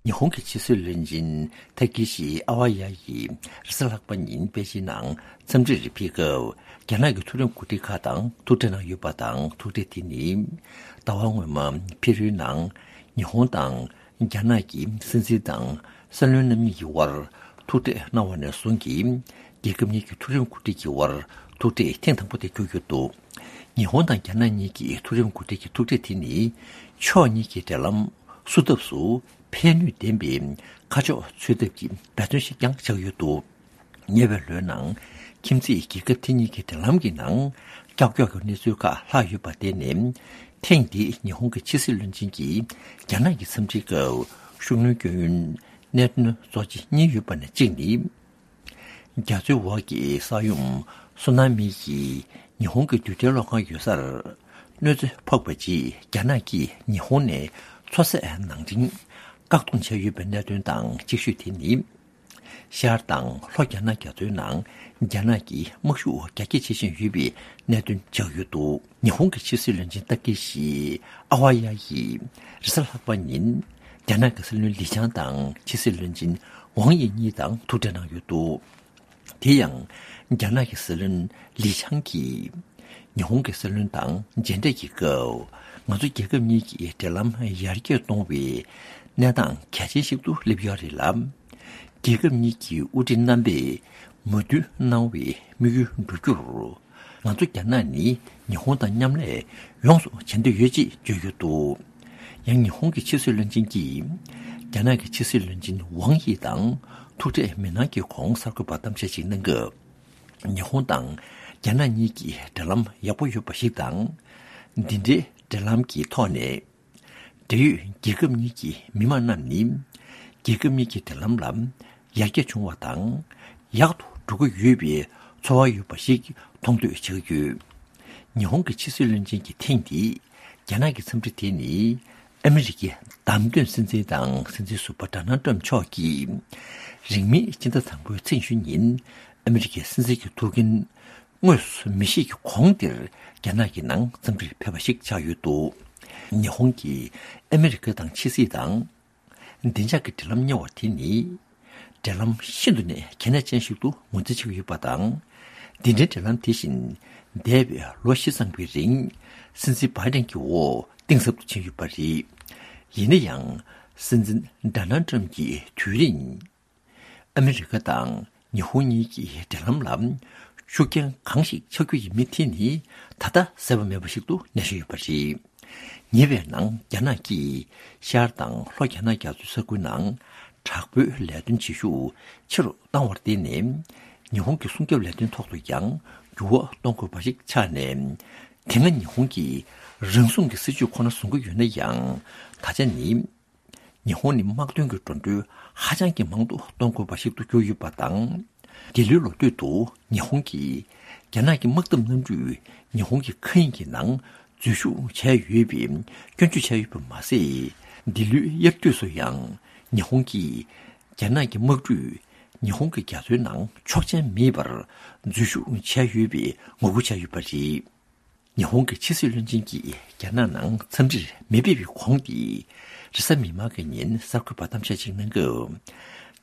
ཉི་ཧོང་གི་ཕྱི་སྲིད་བློན་ཆེན་ཐ་ཀི་ཤི་ཨ་ཝ་ཡ་ཡིས་རེས་གཟའ་ལྷག་པ་ཉིན་པེ་ཅིན་ནང་འཚམས་འདྲིར་ཕེབས་སྐབས། རྒྱ་ནག་གི་མཐོ་རིམ་འགོ་ཁྲིད་ཁག་དང་ཐུག་འཕྲད་གནང་ཡོད་པ་དང་། ཐུག་འཕྲད་དེ་ནི་ཟླ་བ་སྔོན་མ་ཕེ་རུའི་ནང་ཉི་ཧོང་དང་རྒྱ་ནག་གི་སྲིད་འཛིན་དང་སྲིད་བློན་རྣམ་གཉིས་ཀྱི་དབར་ཐུག་འཕྲད་གནང་བ་ནས་བཟུང་གིས། རྒྱལ་ཁབ་གཉིས་ཀྱི་མཐོ་རིམ་འགོ་ཁྲིད་ཀྱི་དབར་ཐུག་འཕྲད་ཐེངས་དང་པོ་དེ་གྱུར་ཡོད་འདུག་ཉི་ཧོང་དང་རྒྱ་ནག་གཉིས་ཀྱི་མཐོ་རིམ་འགོ་ཁྲིད་ཀྱི་ཐུག་འཕྲད་དེ་ནི་ཕྱོགས་གཉིས་ཀྱི་འབྲེལ་ལམ་བསུ་ཐབས་སུ་ཕན་ནུས་ལྡན་པའི་ཁ་ཕྱོགས་འཚོལ་ཐབས་ཀྱི་འབད་བརྩོན་ཞིག་ཀྱང་ཆགས་ཡོད་འདུག་ཉེ་བའི་ལོའི་ནང་ཁྱིམ་མཚེས་རྒྱལ་ཁབ་དེ་གཉིས་ཀྱི་འབྲེལ་ལམ་གྱི་ནང་ཀྱག་ཀྱོག་གི་གནས་ཚུལ་ཁག་ལྷག་ཡོད་པ་བརྟེན་ནས། ཐེངས་འདིའི་ཉི་ཧོང་གི་ཕྱི་སྲིད་བློན་ཆེན་གྱིས་རྒྱ་ནག་གི་འཚམས་འདྲིའི་སྐབས་ཤུགས་སྣོན་སྐྱོན་ཡོན་གནད་དོན་གཙོ་ཆེ་གཉིས་ཡོད་པ་ནས་གཅིག་ནི། རྒྱ་མཚོའི་འོག་གི་ས་ཡོམ་སུ་ན་མི་ཡིས་ཉི་ཧོང་གི་རྡུལ་ཕྲན་གློག་ཁང་ཡོད་སར་གནོད་འཚེ་ཕོག་པའི་རྗེས། རྒྱ་ནག་གིས་ཉི་ཧོང་ནས་མཚོ་ཟས་ནང་འདྲེན་བཀག་སྡོམ་བྱས་ཡོད་པའི་གནད་དོན་དང་། གཅིག་ཤོས་དེ་ནི་ཤར་དང་ལྷོ་རྒྱ་ནག་རྒྱ་མཚོའི་ནང་རྒྱ་ནག་གིས་དམག་ཤུགས་རྒྱ་སྐྱེད་བྱེད་བཞིན་ཡོད་པའི་གནད་དོན་ཆགས་ཡོད་འདུག་ཉི་ཧོང་གི་ཕྱི་སྲིད་བློན་ཆེན་ཏཱ་ཀེ་ཤི་ཨ་ཝ་ཡ་ཡིས་རེས་གཟའ་ལྷག་པ་ཉིན་རྒྱ་ནག་གི་སྲིད་བློན་ལི་ཆང་དང་ཕྱི་སྲིད་བློན་ཆེན་ཝང་དབྱི་གཉིས་དང་ཐུག་འཕྲད་གནང་ཡོད་འདུག་དེ་ཡང་རྒྱ་ནག་གི་སྲིད་བློན་ལི་ཆང་གིས་ཉི་ཧོང་གི་སྲིད་བློན་དང་མཇལ་འཕྲད་ཀྱི་སྐབས། ང་ཚོ་རྒྱལ་ཁབ་གཉིས་ཀྱི་འབྲེལ་ལམ་ཡར་རྒྱས་གཏོང་བའི་གནས་སྟངས་གལ་ཆེན་ཞིག་ཏུ་སླེབས་ཡོད་རེད་ལ། རྒྱལ་ཁབ་གཉིས་ཀྱི་དབུ་ཁྲིད་རྣམ་པས་མོས་མཐུན་གནང་བའི་དམིགས་ཡུལ་འགྲུབ་རྒྱུར། ང་ཚོ་རྒྱ་ནག་ནི་ཉི་ཧོང་དང་མཉམ་ལས་ཡོངས་སུ་བྱེད་འདོད་ཡོད་ཅེས་བརྗོད་ཡོད་འདུག་ཡང་ཉི་ཧོང་གི་ཕྱི་སྲིད་བློན་ཆེན་གྱིས་རྒྱ་ནག་གི་ཕྱི་སྲིད་བློན་ཆེན་ཝང་དབྱི་དང་ཐུག་འཕྲད་མི་གནང་གི་གོང་གསར་འགོད་པར་གཏམ་བཤད་ཅིག་གནང་སྐབས། ཉི་ཧོང་དང་རྒྱ་ནག་གཉིས་ཀྱི་འབྲེལ་ལམ་ཡག་པོ་ཡོད་པ་ཞིག་དང་། འདི་འདྲའི་འབྲེལ་ལམ་གྱི་ཐོག་ནས། འབྲེལ་ཡོད་རྒྱལ་ཁབ་གཉིས་ཀྱི་མི་དམངས་རྣམས་ནི། རྒྱལ་ཁབ་གཉིས་ཀྱི་འབྲེལ་ལམ་ལ་ཡར་རྒྱས་བྱུང་བ་དང་། ཡག་ཏུ་འགྲོ་གི་ཡོད་པའི་ཚོར་བ་ཡོད་པ་ཞིག་མཐོང་འདོད་བྱེད་ཀྱི་ཡོད། ཉི་ཧོང་གི་ཕྱི་སྲིད་བློན་ཆེན་གྱི་ཐེངས་འདིའི་རྒྱ་ནག་གི་འཚམས་འདྲི་དེ་ནི། ཨ་མི་རི་ཀའི་བདམས་ཐོན་སྲིད་འཛིན་དང་སྲིད་འཛིན་ཟུར་པ་ཌོ་ནལ་ཏྲམ་མཆོག་གིས་རིང་མིན་སྤྱི་ཟླ་དང་པོའི་ཚེས་བཅུ་ཉིན་ཨ་མི་རི་ཀའི་སྲིད་འཛིན་གྱི་ཐུགས་འགན་དངོས་སུ་མི་བཞེས་ཀྱི་གོང་དེར་རྒྱ་ནག་གི་ནང་འཚམས་འདྲིར་ཕེབས་པ་ཞིག་ཆགས་ཡོད་འདུག་ཉི་ཧོང་གིས་ཨ་མི་རི་ཀ་དང་ཕྱི་སྲིད་དང་། བདེ་འཇགས་ཀྱི་འབྲེལ་ལམ་གཉེར་བ་དེ་ནི། འབྲེལ་ལམ་ཤིན་ཏུ་ནས་གལ་གནད་ཅན་ཞིག་ཏུ་ངོས་འཛིན་བྱེད་ཀྱི་ཡོད་པ་དང་། འདི་འདྲའི་འབྲེལ་ལམ་དེ་བཞིན་འདས་པའི་ལོ་བཞི་ཙམ་གྱི་རིང་སྲིད་འཛིན་བྷའི་ཏན་གྱི་འོག་གཏིང་ཟབ་ཏུ་ཕྱིན་ཡོད་པ་རེད། ཡིན་ན་ཡང་། སྲིད་འཛིན་ཌོ་ནལ་ཏྲམ་གྱི་དུས་རིང་ ཨ་མི་རི་ཀ་དང་ཉི་ཧོང་གཉིས་ཀྱི་འབྲེལ་ལམ་ལ་ཤུགས་རྐྱེན་གང་ཞིག་ཆགས་རྒྱུ་ཡིན་མིན་དེ་ནི་ད་ལྟ་གསལ་པོ་མེད་པ་ཞིག་ཏུ་གནས་བཞིན་ཡོད་པ་རེད། ཉེ་བའི་ནང་རྒྱ་ནག་གིས་ཤར་དང་ལྷོ་རྒྱ་ནག་རྒྱ་མཚོའི་ས་ཁུལ་ནང་དྲག་པོའི་ལས་དོན་བྱེད་ཤུགས་ཆེ་རུ་བཏང་བར་བརྟེན་ནས། ཉི་ཧོང་གི་སྲུང་སྐྱོབ་ལས་དོན་ཐོག་ཏུ་ཡང་འགྱུར་བ་གཏོང་དགོས་པ་ཞིག་ཆགས་ནས། དེ་སྔ་ཉི་ཧོང་གིས་རང་སྲུང་གི་སྲིད་ཇུས་ཁོ་ན་བཟུང་གི་ཡོད་ན་ཡང་། ད་ཆ་ནི། ཉི་ཧོང་ནི་དམག་དོན་གྱི་འགྲོ་གྲོན་ཧ་ཅང་གི་མང་དུ་གཏོང་དགོས་པ་ཞིག་ཏུ་གྱུར་ཡོད་པ་དང་། འདི་ལོའི་ལོ་སྟོད་དུ་ཉི་ཧོང་གིས་རྒྱ་ནག་གི་དམག་འཐབ་གནམ་གྲུས་ཉི་ཧོང་གི་མཁའ་དབྱིངས་ཀྱི་ནང་འཛུལ་ཞུགས་བྱས་ཡོད་པའི་སྐྱོན་བརྗོད་བྱས་ཡོད་པ་མ་ཟད། འདི་ལོའི་དབྱར་དུས་སུ་ཡང་ཉི་ཧོང་གིས་རྒྱ་ནག་གི་དམག་གྲུས་ཉི་ཧོང་གི་རྒྱ་མཚོའི་ནང་ཆོག་མཆན་མེད་པར་འཛུལ་ཞུགས་བྱས་ཡོད་པའི་ངོ་རྒོལ་བྱས་ཡོད་པ་རེད། ཉི་ཧོང་གི་ཕྱི་སྲིད་བློན་ཆེན་གྱིས་རྒྱ་ནག་ནང་འཚམས་འདྲིར་མི་ཕེབས་པའི་གོང་དེ། རེས་གཟའ་མིག་དམར་གྱི་ཉིན་གསར་འགོད་པར་གཏམ་བཤད་ཅིག་གནང་སྐབས།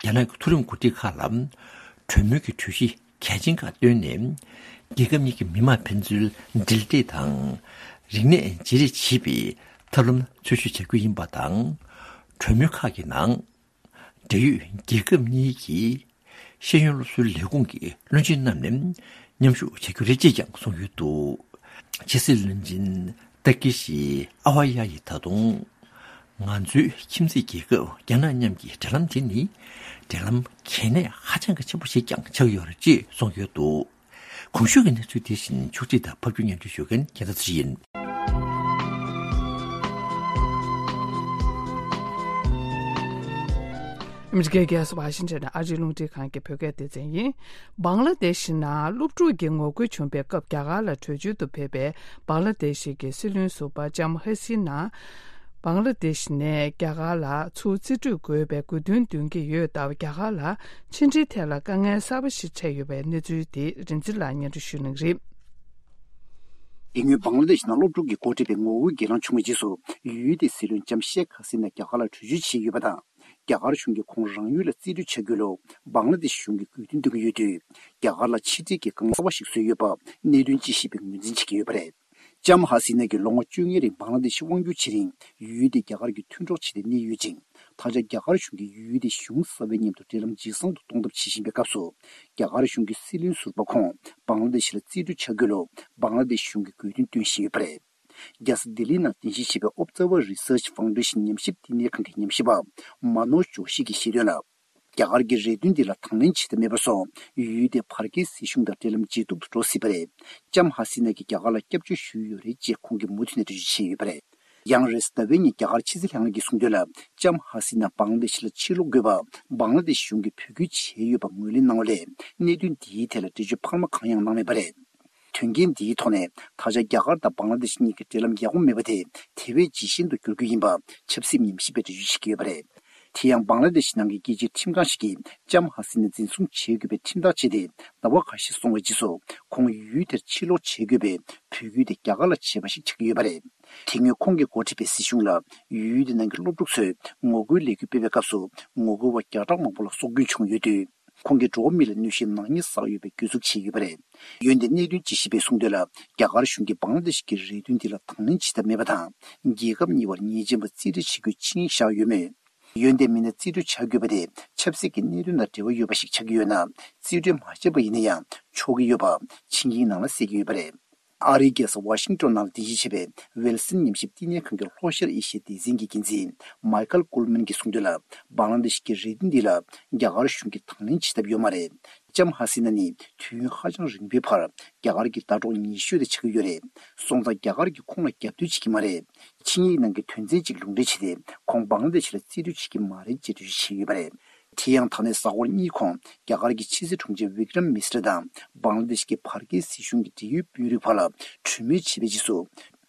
རྒྱ་ནག་གི་མཐོ་རིམ་འགོ་ཁྲིད་ཁག་ལ་གྲོས་མོལ་གྱི་གྲོས་གཞི་གལ་ཆེན་ཁག་བཏོན་ནས། རྒྱལ་ཁབ་གཉིས་ཀྱི་མི་དམངས་ཕན་ཚུན་འབྲེལ་འདྲིས་དང་། རིག་གནས་བརྗེ་རེས་བྱེད་པའི་ཐབས་ལམ་འཚོལ་ཞིབ་བྱ་རྒྱུ་ཡིན་པ་དང་། གྲོས་མོལ་ཁག་གི་ནང་། འབྲེལ་ཡོད་རྒྱལ་ཁབ་གཉིས་ཀྱི་ཤེས་ཡོན་སློབ་གསོའི་ལས་ཁུངས་ཀྱི་བློན་ཆེན་རྣམས་ནས་མཉམ་ཞུགས་བྱ་རྒྱུ་རེད་ཅེས་ཀྱང་གསུངས་ཡོད་འདུག། ཕྱི་སྲིད་བློན་ཆེན་ཏཱ་ཀི་ཤི་ཨ་ཝ་ཡ་ཡིས་ད་དུང་། ང་ཚོའི་ཁྱིམ་མཚེས་རྒྱལ་ཁབ་རྒྱ་ནག་མཉམ་གྱི་འབྲེལ་ལམ་དེ་ནི་འབྲེལ་ལམ་གལ་གནད་ཧ་ཅང་གི་ཆེན་པོ་ཞིག་ཀྱང་ཆགས་ཡོད་རེད་ཅེས་གསུངས་ཡོད་འདུག། གོང་ཞུས་ཀྱི་གནས་ཚུལ་དེ་བཞིན་ཕྱོགས་སྒྲིག་དང་ཕབ་སྒྱུར་སྙན་སྒྲོན་ཞུ་མཁན་རྒྱལ་མཚན་ཚེ་རིང་ཡིན། ཨ་མི་རི་ཀའི་རྒྱལ་ས་ཝ་ཤིང་ཊོན་ནས་ཨ་རིའི་རླུང་འཕྲིན་ཁང་གི་བོད་སྐད་སྡེ་ཚན་ཡིན། བང་ལ་དེ་ཤི་ནང་སློབ་ཕྲུག་གི་ངོ་རྒོལ་བྱུང་བའི་སྐབས་རྒྱ་གར་ལ་བྲོས་བྱོལ་དུ་ཕེབས་པའི་བང་ལ་དེ་ཤི་གི་སྲིད་བློན་ཟུར་པ་ལྕམ་ཧ་སི་ན། བང་ལ་དེ་ཤི་ནས་རྒྱ་གར་ལ་ཚུར་རྩིས་སྤྲོད་དགོས་པའི་དགོས་འདུན་འདོན་གྱི་ཡོད་སྟབས། རྒྱ་གར་ལ་ཕྱི་འབྲེལ་ཐད་ལ་དཀའ་ངལ་གསར་པ་ཞིག་འཕྲད་ཡོད་པའི་གནས་ཚུལ་དེ་རིག་འཛིན་ལགས་སྙན་སྒྲོན་ཞུ་གནང་གི་རེད། དེ་སྔོན་བང་ལ་དེ་ཤི་ནང་སློབ་ཕྲུག་གི་འགོ་ཁྲིད་པའི་ངོ་རྒོལ་གྱི་ལངས་བྱུང་བའི་རྗེས་སུ། ཡུལ་དེའི་སྲིད་བློན་ལྕམ་ཤེག་ཧ་སི་ན་རྒྱ་གར་ལ་བྲོས་བྱོལ་བྱས་ཡོད་པ་དང་། རྒྱ་གར་གཞུང་གིས་ཁོང་རང་ཡུལ་ལ་རྩིས་སྤྲོད་བྱ་རྒྱུ་ལ་བང་ལ་དེ་ཤི་གཞུང་གིས་དགོས་འདུན་འདོན་གྱི་ཡོད་དུས། རྒྱ་གར་ལ་ཕྱི་འབྲེལ་གྱི་དཀའ་ངལ་གསར་པ་ཞིག་བཟོས་ཡོད་པ་གནད་དོན་དཔྱད་ཞིབ་པས་ངོས་འཛིན་བྱེད་ཀྱི་ཡོད་པ་རེད། ལྕམ་ཧ་སི་ན་གིས་ལོ་ངོ་བཅོ་ལྔའི་རིང་བང་ལ་དེ་ཤི་དབང་བསྒྱུར་བྱེད་རིང་། ཡུལ་དེ་རྒྱ་གར་གྱི་མཐུན་གྲོགས་བྱས་ཏེ་གནས་ཡོད་ཅིང་། ད་ཆ་རྒྱ་གར་གཞུང་གིས་ཡུལ་དེའི་གཞུང་གསར་པའི་མཉམ་དུ་འབྲེལ་ལམ་ཇེ་བཟང་དུ་གཏོང་ཐབས་བྱེད་བཞིན་པའི་སྐབས་སུ། རྒྱ་གར་གཞུང་གི་སྲིད་བློན་ཟུར་པ་ཁོང་བང་ལ་དེ་ཤི་ལ་རྩིས་སྤྲོད་བྱ་དགོས་ལུགས་བང་ལ་དེ་ཤི་གཞུང་གིས་དགོས་འདུན་བཏོན་བཞིན་ཡོད་པ་རེད། རྒྱལ་ས་ལྡི་ལི་ནང་རྟེན་གཞི་བྱས་པའི་Observer Research Foundation ཉམས་ཞིབ་བསྟི་གནས་ཁང་གི་ཉམས་ཞིབ་པ་མ་ནོ་ཇོ་ཤི་གིས་བཤད་དོན་ལ། རྒྱ་གར་གྱི་རེ་འདུན་འདི་ལ་དང་ལེན་བྱེད་ཐབས་མེད་པ་སོང་། ཡུལ་དེའི་བར་བརྒལ་སྲིད་གཞུང་དང་འབྲེལ་ལམ་ཇེ་སྡུག་ཏུ་འགྲོ་སྲིད་པ་རེད། ལྕམ་ཧ་སི་ན་གྱིས་རྒྱ་གར་ལ་སྐྱབས་བཅོལ་ཞུས་ཡོད་རེད་ཅེས་ཁོང་གིས་མུ་མཐུད་ནས་འགྲེལ་བརྗོད་བྱས་ཡོད་པ་རེད། ཡང་རེས་ཟླ་བའི་ཉིན་རྒྱ་གར་ཕྱི་སྲིད་ལྷན་ཁང་གིས་གསུངས་དོན་ལ། ལྕམ་ཧ་སི་ན་བང་ལ་དེ་ཤི་ལ་ཕྱིར་ལོག་དགོས་པ་བང་ལ་དེ་ཤི་གཞུང་གིས་འབོད་སྐུལ་བྱས་ཡོད་པ་ངོས་ལེན་གནང་བ་ལས། གནད་དོན་འདིའི་ཐད་ལ་འགྲེལ་བརྗོད་འཕར་མ་གང་ཡང་གནང་མེད་པ་རེད། དོན་རྐྱེན་འདིའི་ཐོག་ནས་ད་ཆ་རྒྱ་གར་དང་བང་ལ་དེ་ཤི་གཉིས་ཀྱི་འབྲེལ་ལམ་ཡག་པོ་མེད་པ་དེ་དེ་བས་ཇེ་ཞན་དུ་འགྱུར་རྒྱུ་ཡིན་པ་ཆབ་སྲིད་ཉམས་ཞིབ་པས་འགྲེལ་བརྗོད་བྱེད་ཀྱི་ཡོད་པ་རེད། དེ་ཡང་བང་ལ་དེ་ཤི་ནང་གི་རྒྱལ་སྤྱིའི་ཁྲིམས་ཁང་ཞིག་གིས་ལྕམ་ཧ་སི་ནས་འཛིན་བཟུང་བྱེད་དགོས་པའི་ཁྲིམས་ཐག་བཅད་དེ་ཟླ་བ་འགའ་ཤས་སོང་བའི་རྗེས་སུ་ཁོང་ཡུལ་དེར་ཕྱིར་ལོག་བྱེད་དགོས་པའི་འབོད་སྐུལ་དེ་རྒྱ་གར་ལ་བྱས་པ་ཞིག་ཆགས་ཀྱི་ཡོད་པ་རེད། དེ་སྔོན་ཁོང་གིས་འགོ་ཁྲིད་པའི་སྲིད་གཞུང་ལ་ཡུལ་དེ་ནང་གི་སློབ་ཕྲུག་ཚོས་ངོ་རྒོལ་ལས་འགུལ་སྤེལ་བའི་སྐབས་སུ་ངོ་རྒོལ་བ་བརྒྱ་ཕྲག་མང་པོ་ལ་སྲོག་སྐྱོན་བྱུང་ཡོད་དུས། ཁོང་གིས་འགྲོ་བ་མི་ལ་གནོད་བྱེད་ནག་ཉེས་བསགས་ཡོད་པའི་གྱོད་འཛུགས་བྱས་ཡོད་པ་རེད། འོན་ཏེ་གནད་དོན་དཔྱད་ཞིབ་པས་གསུངས་དོན་ལ། རྒྱ་གར་གཞུང་གིས་བང་ལ་དེ་ཤི་གི་རེ་འདུན་འདི་ལ་དང་ལེན་བྱེད་ཐབས་མེད་པ་དང་། རྒྱལ་ཁབ་གཉིས་བར་ཉེས་ཅན་པ་རྩིས་སྤྲོད་བྱེད་རྒྱུའི་ཆིངས་ཡིག་བཞག་ཡོད་མོད། འོན་ཏེ་མི་སྣ་རྩིས་སྤྲོད་བྱ་དགོས་པ་དེ་ཆབ་སྲིད་ཀྱི་གནད་དོན་དང་འབྲེལ་བ་ཡོད་པ་ཞིག་ཆགས་ཀྱི་ཡོད་ན། རྩིས་སྤྲོད་མ་བྱས་པ་ཡིན་ན་ཡང་ཆོག་གི་ཡོད་པ་ཆིངས་ཡིག་ནང་ལ་གསལ་གྱི་ཡོད་པ་རེད། ཨ་རིའི་རྒྱལ་ས་ཝ་ཤིང་ཏོན་ནང་རྟེན་གཞི་བྱས་པའི་ཝིལ་སན་ཉམས་ཞིབ་བསྟི་གནས་ཁང་གི་ལྷོ་ཤར་ཨེ་ཤི་ཡའི་སྡེ་ཚན་གྱི་འགན་འཛིན་མའི་ཁལ་ཀུལ་མན་གྱིས་གསུངས་དོན་ལ། བང་ལ་དེ་ཤི་གི་རེ་འདུན་འདི་ལ་རྒྱ་གར་གཞུང་གིས་དང་ལེན་བྱེད་ཐབས་ཡོད་མ་རེད། ལྕམ་ཧ་སི་ན་ནི་དུས་ཡུན་ཧ་ཅང་རིང་པོའི་བར་རྒྱ་གར་གྱི་ཟླ་གྲོགས་ཉེ་ཤོས་དེ་ཆགས་ཀྱི་ཡོད་རེད། སོང་ཙང་རྒྱ་གར་གྱིས་ཁོང་ལ་རྒྱབ་གཏོད་བྱེད་ཀྱི་མ་རེད། ཆིངས་ཡིག་ནང་གི་དོན་ཚན་གཅིག་ལུང་འདྲེན་བྱས་ཏེ་ཁོང་བང་ལ་དེ་ཤི་ལ་རྩིས་སྤྲོད་བྱེད་ཀྱི་མ་རེད་ཅེས་འགྲེལ་བརྗོད་བྱས་ཡོད་པ་རེད། དེ་ཡང་ད་ནས་གཟའ་འཁོར་གཉིས་གོང་རྒྱ་གར་གྱི་ཕྱི་སྲིད་དྲུང་ཆེ་བི་ཀྲམ་མིས་ཏྲ་དང་བང་ལ་དེ་ཤི་གི་བར་བརྒལ་སྲིད་གཞུང་གི་འབྲེལ་ཡོད་དཔོན་རིགས་བར་ལ་གྲོས་མོལ་བྱས་པའི་རྗེས་སུ།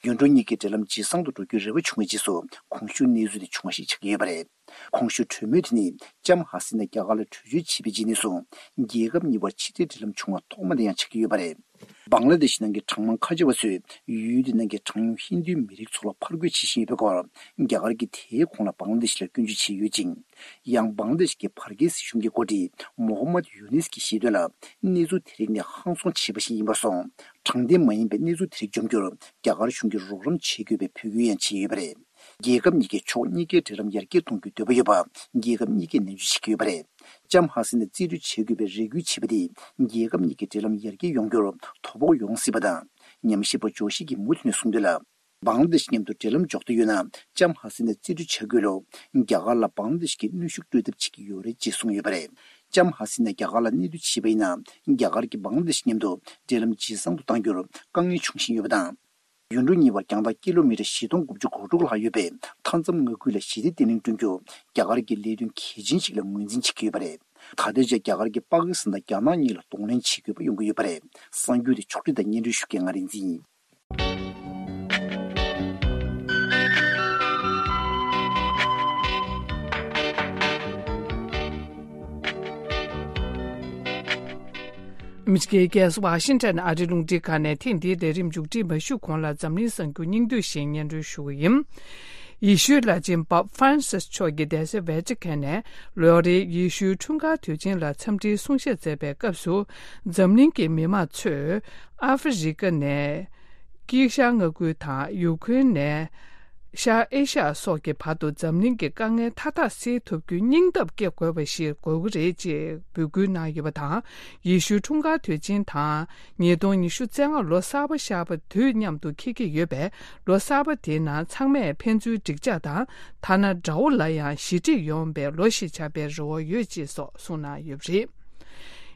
ཡུལ་གྲུ་གཉིས་ཀྱི་འབྲེལ་ལམ་ཇེ་བཟང་དུ་འགྲོ་རྒྱུའི་རེ་བ་བྱུང་བའི་རྗེས་སུ་གོང་ཞུས་གནས་ཚུལ་དེ་བྱུང་བ་ཞིག་ཆགས་ཀྱི་ཡོད་པ་རེད། གོང་ཞུས་གྲོས་མོལ་དེ་ནི་ལྕམ་ཧ་སི་ན་རྒྱ་གར་ལ་བྲོས་བྱོལ་བྱས་པའི་རྗེས་ནས་བཟུང་རྒྱལ་ཁབ་གཉིས་བར་ཕྱི་འབྲེལ་འབྲེལ་ལམ་བྱུང་བ་ཐོག་མ་དེ་ཡང་ཆགས་ཀྱི་ཡོད་པ་རེད། བང་ལ་དེ་ཤི་ནང་གི་གྲངས་མང་ཁ་ཆེ་བ་ཚོས་ཡུལ་དེ་ནང་གི་གྲངས་ཉུང་ཧིན་རྡུའི་མི་རིགས་ཚོ་ལ་ཕར་རྒོལ་བྱེད་བཞིན་ཡོད་པའི་སྐོར་རྒྱ་གར་གྱིས་དེའི་གོང་ལ་བང་ལ་དེ་ཤི་ལ་སྐྱོན་བརྗོད་བྱས་ཡོད་ཅིང་། ཡང་བང་ལ་དེ་ཤི་གི་བར་བརྒལ་སྲིད་གཞུང་གི་འགོ་ཁྲིད་མོ་ཧམ་མད་ཡུ་ནིས་ཀྱིས་བཤད་དོན་ལ། གནས་ཚུལ་དེ་རིགས་ནི་ཧང་སང་བྱས་པ་ཞིག་ཡིན་པར་སོང་། དྲང་བདེན་མ་ཡིན་པའི་གནས་ཚུལ་དེ་རིགས་འཇོམས་རྒྱུར་རྒྱ་གར་གཞུང་གིས་རོགས་རམ་བྱེད་དགོས་པའི་འབོད་སྐུལ་ཡང་བྱས་ཡོད་པ་རེད། རྒྱལ་ཁབ་གཉིས་ཀས་ཕྱོགས་གཉིས་ཀའི་འབྲེལ་ལམ་ཡར་རྒྱས་གཏོང་རྒྱུའི་འདོད་པ་ཡོད་པ་རྒྱལ་ཁབ་གཉིས་ཀས་ནན་བརྗོད་བྱེད་ཀྱི་ཡོད་པ་རེད། ལྕམ་ཧ་སི་ནས་རྩིས་སྤྲོད་བྱེད་དགོས་པའི་རེ་སྐུལ་བྱས་པ་དེས་རྒྱལ་ཁབ་གཉིས་ཀྱི་འབྲེལ་ལམ་ཡར་རྒྱས་ཡོང་རྒྱུར་དོ་ཕོག་ཡོང་སྲིད་པ་དང་། ཉམས་ཞིབ་པ་ཇོ་ཤི་གིས་མུ་མཐུད་ནས་གསུངས་དོན་ལ། བང་ལ་དེཤ་མཉམ་དུ་འབྲེལ་ལམ་འཇོག་འདོད་ཡོད་ན། ལྕམ་ཧ་སི་ནས་རྩིས་སྤྲོད་བྱ་དགོས་ལ། རྒྱ་གར་ལ་བང་ལ་དེཤ་གིས་གནོན་ཤུགས་སྤྲོད་ཐབས་བྱེད་ཀྱི་ཡོད་རེད་ཅེས་གསུངས་ཡོད་པ་རེད། ལྕམ་ཧ་སི་ནས་རྒྱ་གར་ལ་གནས་སྡོད་བྱས་པ་ཡིན་ན། རྒྱ་གར་གྱིས་བང་ལ་དེཤ་མཉམ་དུ་འབྲེལ་ལམ་ཇེ་བཟང་དུ་གཏང་རྒྱུར་དཀའ་ངལ་འབྱུང་བཞིན་ཡོད་པ་དང་། ཡུལ་གྲུ་གཉིས་བར་རྒྱང་ཐག་ཀི་ལོ་མི་ཊར་བཞི་སྟོང་དགུ་བརྒྱ་གོ་དྲུག་ལྷག་ཡོད་པའི་མཐའ་མཚམས་མངའ་ཁུལ་ལ་ཞི་བདེ་བརྟན་ལྷིང་བསྐྲུན་རྒྱུར་རྒྱ་གར་གྱིས་ལས་དོན་གལ་ཆེན་ཞིག་ལ་ངོས་འཛིན་བྱེད་ཀྱི་ཡོད་པ་རེད། ད་ལྟའི་ཆར་རྒྱ་གར་གྱིས་པ་ཀི་སི་ཐན་དང་རྒྱ་ནག་གཉིས་ལ་གདོང་ལེན་བྱེད་དགོས་པ་ཡོང་གི་ཡོད་པ་རེད། གསར་འགྱུར་དེ་ཕྱོགས་སྒྲིག་དང་སྙན་སྒྲོན་ཞུ་མཁན་ང་རིག་འཛིན་ཡིན། ཨ་མི་རི་ཀའི་རྒྱལ་ས་ཝ་ཤིང་ཊོན་ཨ་རིའི་རླུང་འཕྲིན་ཁང་ནས་ཐེངས་འདིའི་ལས་རིམ་མཇུག་སྒྲིལ་མ་ཞུས་གོང་ལ་འཛམ་གླིང་གསར་འགྱུར་སྙིང་བསྡུས་ཤིག་སྙན་སྒྲོན་ཞུ་གི་ཡིན། ཡེ་ཤུའི་བླ་ཆེན་པོབ་ཧྥ་རན་སིས་མཆོག་གིས་རྡ་སའི་ཝེ་ཏི་ཀན་ནས་ལོ་རེའི་ཡེ་ཤུའི་འཁྲུངས་སྐར་དུས་ཆེན་ལ་འཚམས་འདྲིའི་གསུང་བཤད་མཛད་པའི་སྐབས་སུ། འཛམ་གླིང་གི་མི་མང་ཚོས་ཨ་ཧྥེ་རི་ཀ་ནས་དཀྱིལ་ཤར་མངའ་ཁུལ་དང་ཡུ་ཁུ་རེན་ནས་ཤར་ཨེ་ཤ་ཡ་སོགས་ཀྱི་བར་དུ་འཛམ་གླིང་གི་དཀའ་ངལ་མཐའ་དག་སེལ་ཐུབ་རྒྱུའི་སྙིང་སྟོབས་སྐྱེ་དགོས་པ་ཞིག་དགོས་ཀྱི་རེད་ཅེས་འབོད་སྐུལ་གནང་ཡོད་པ་དང་། ཡེ་ཤུའི་འཁྲུངས་སྐར་དུས་ཆེན་དང་། ཉིས་སྟོང་ཉི་ཤུ་རྩ་ལྔ་ལོ་གསར་པ་ཤར་བ་དུས་མཉམ་དུ་འཁེལ་གྱི་ཡོད་པས། ལོ་གསར་པ་དེའི་ནང་ཚང་མས་ཕན་ཚུན་འགྲིག་འཇགས་དང་། ཐ་ན་དགྲ་བོ་ལ་ཡང་ཞི་འགྲིག་ཡོང་བའི་ལོ་ཞིག་ཆགས་པའི་རེ་བ་ཡོད་ཅེས་སོགས་གསུངས་གནང་ཡོད་པ་རེད།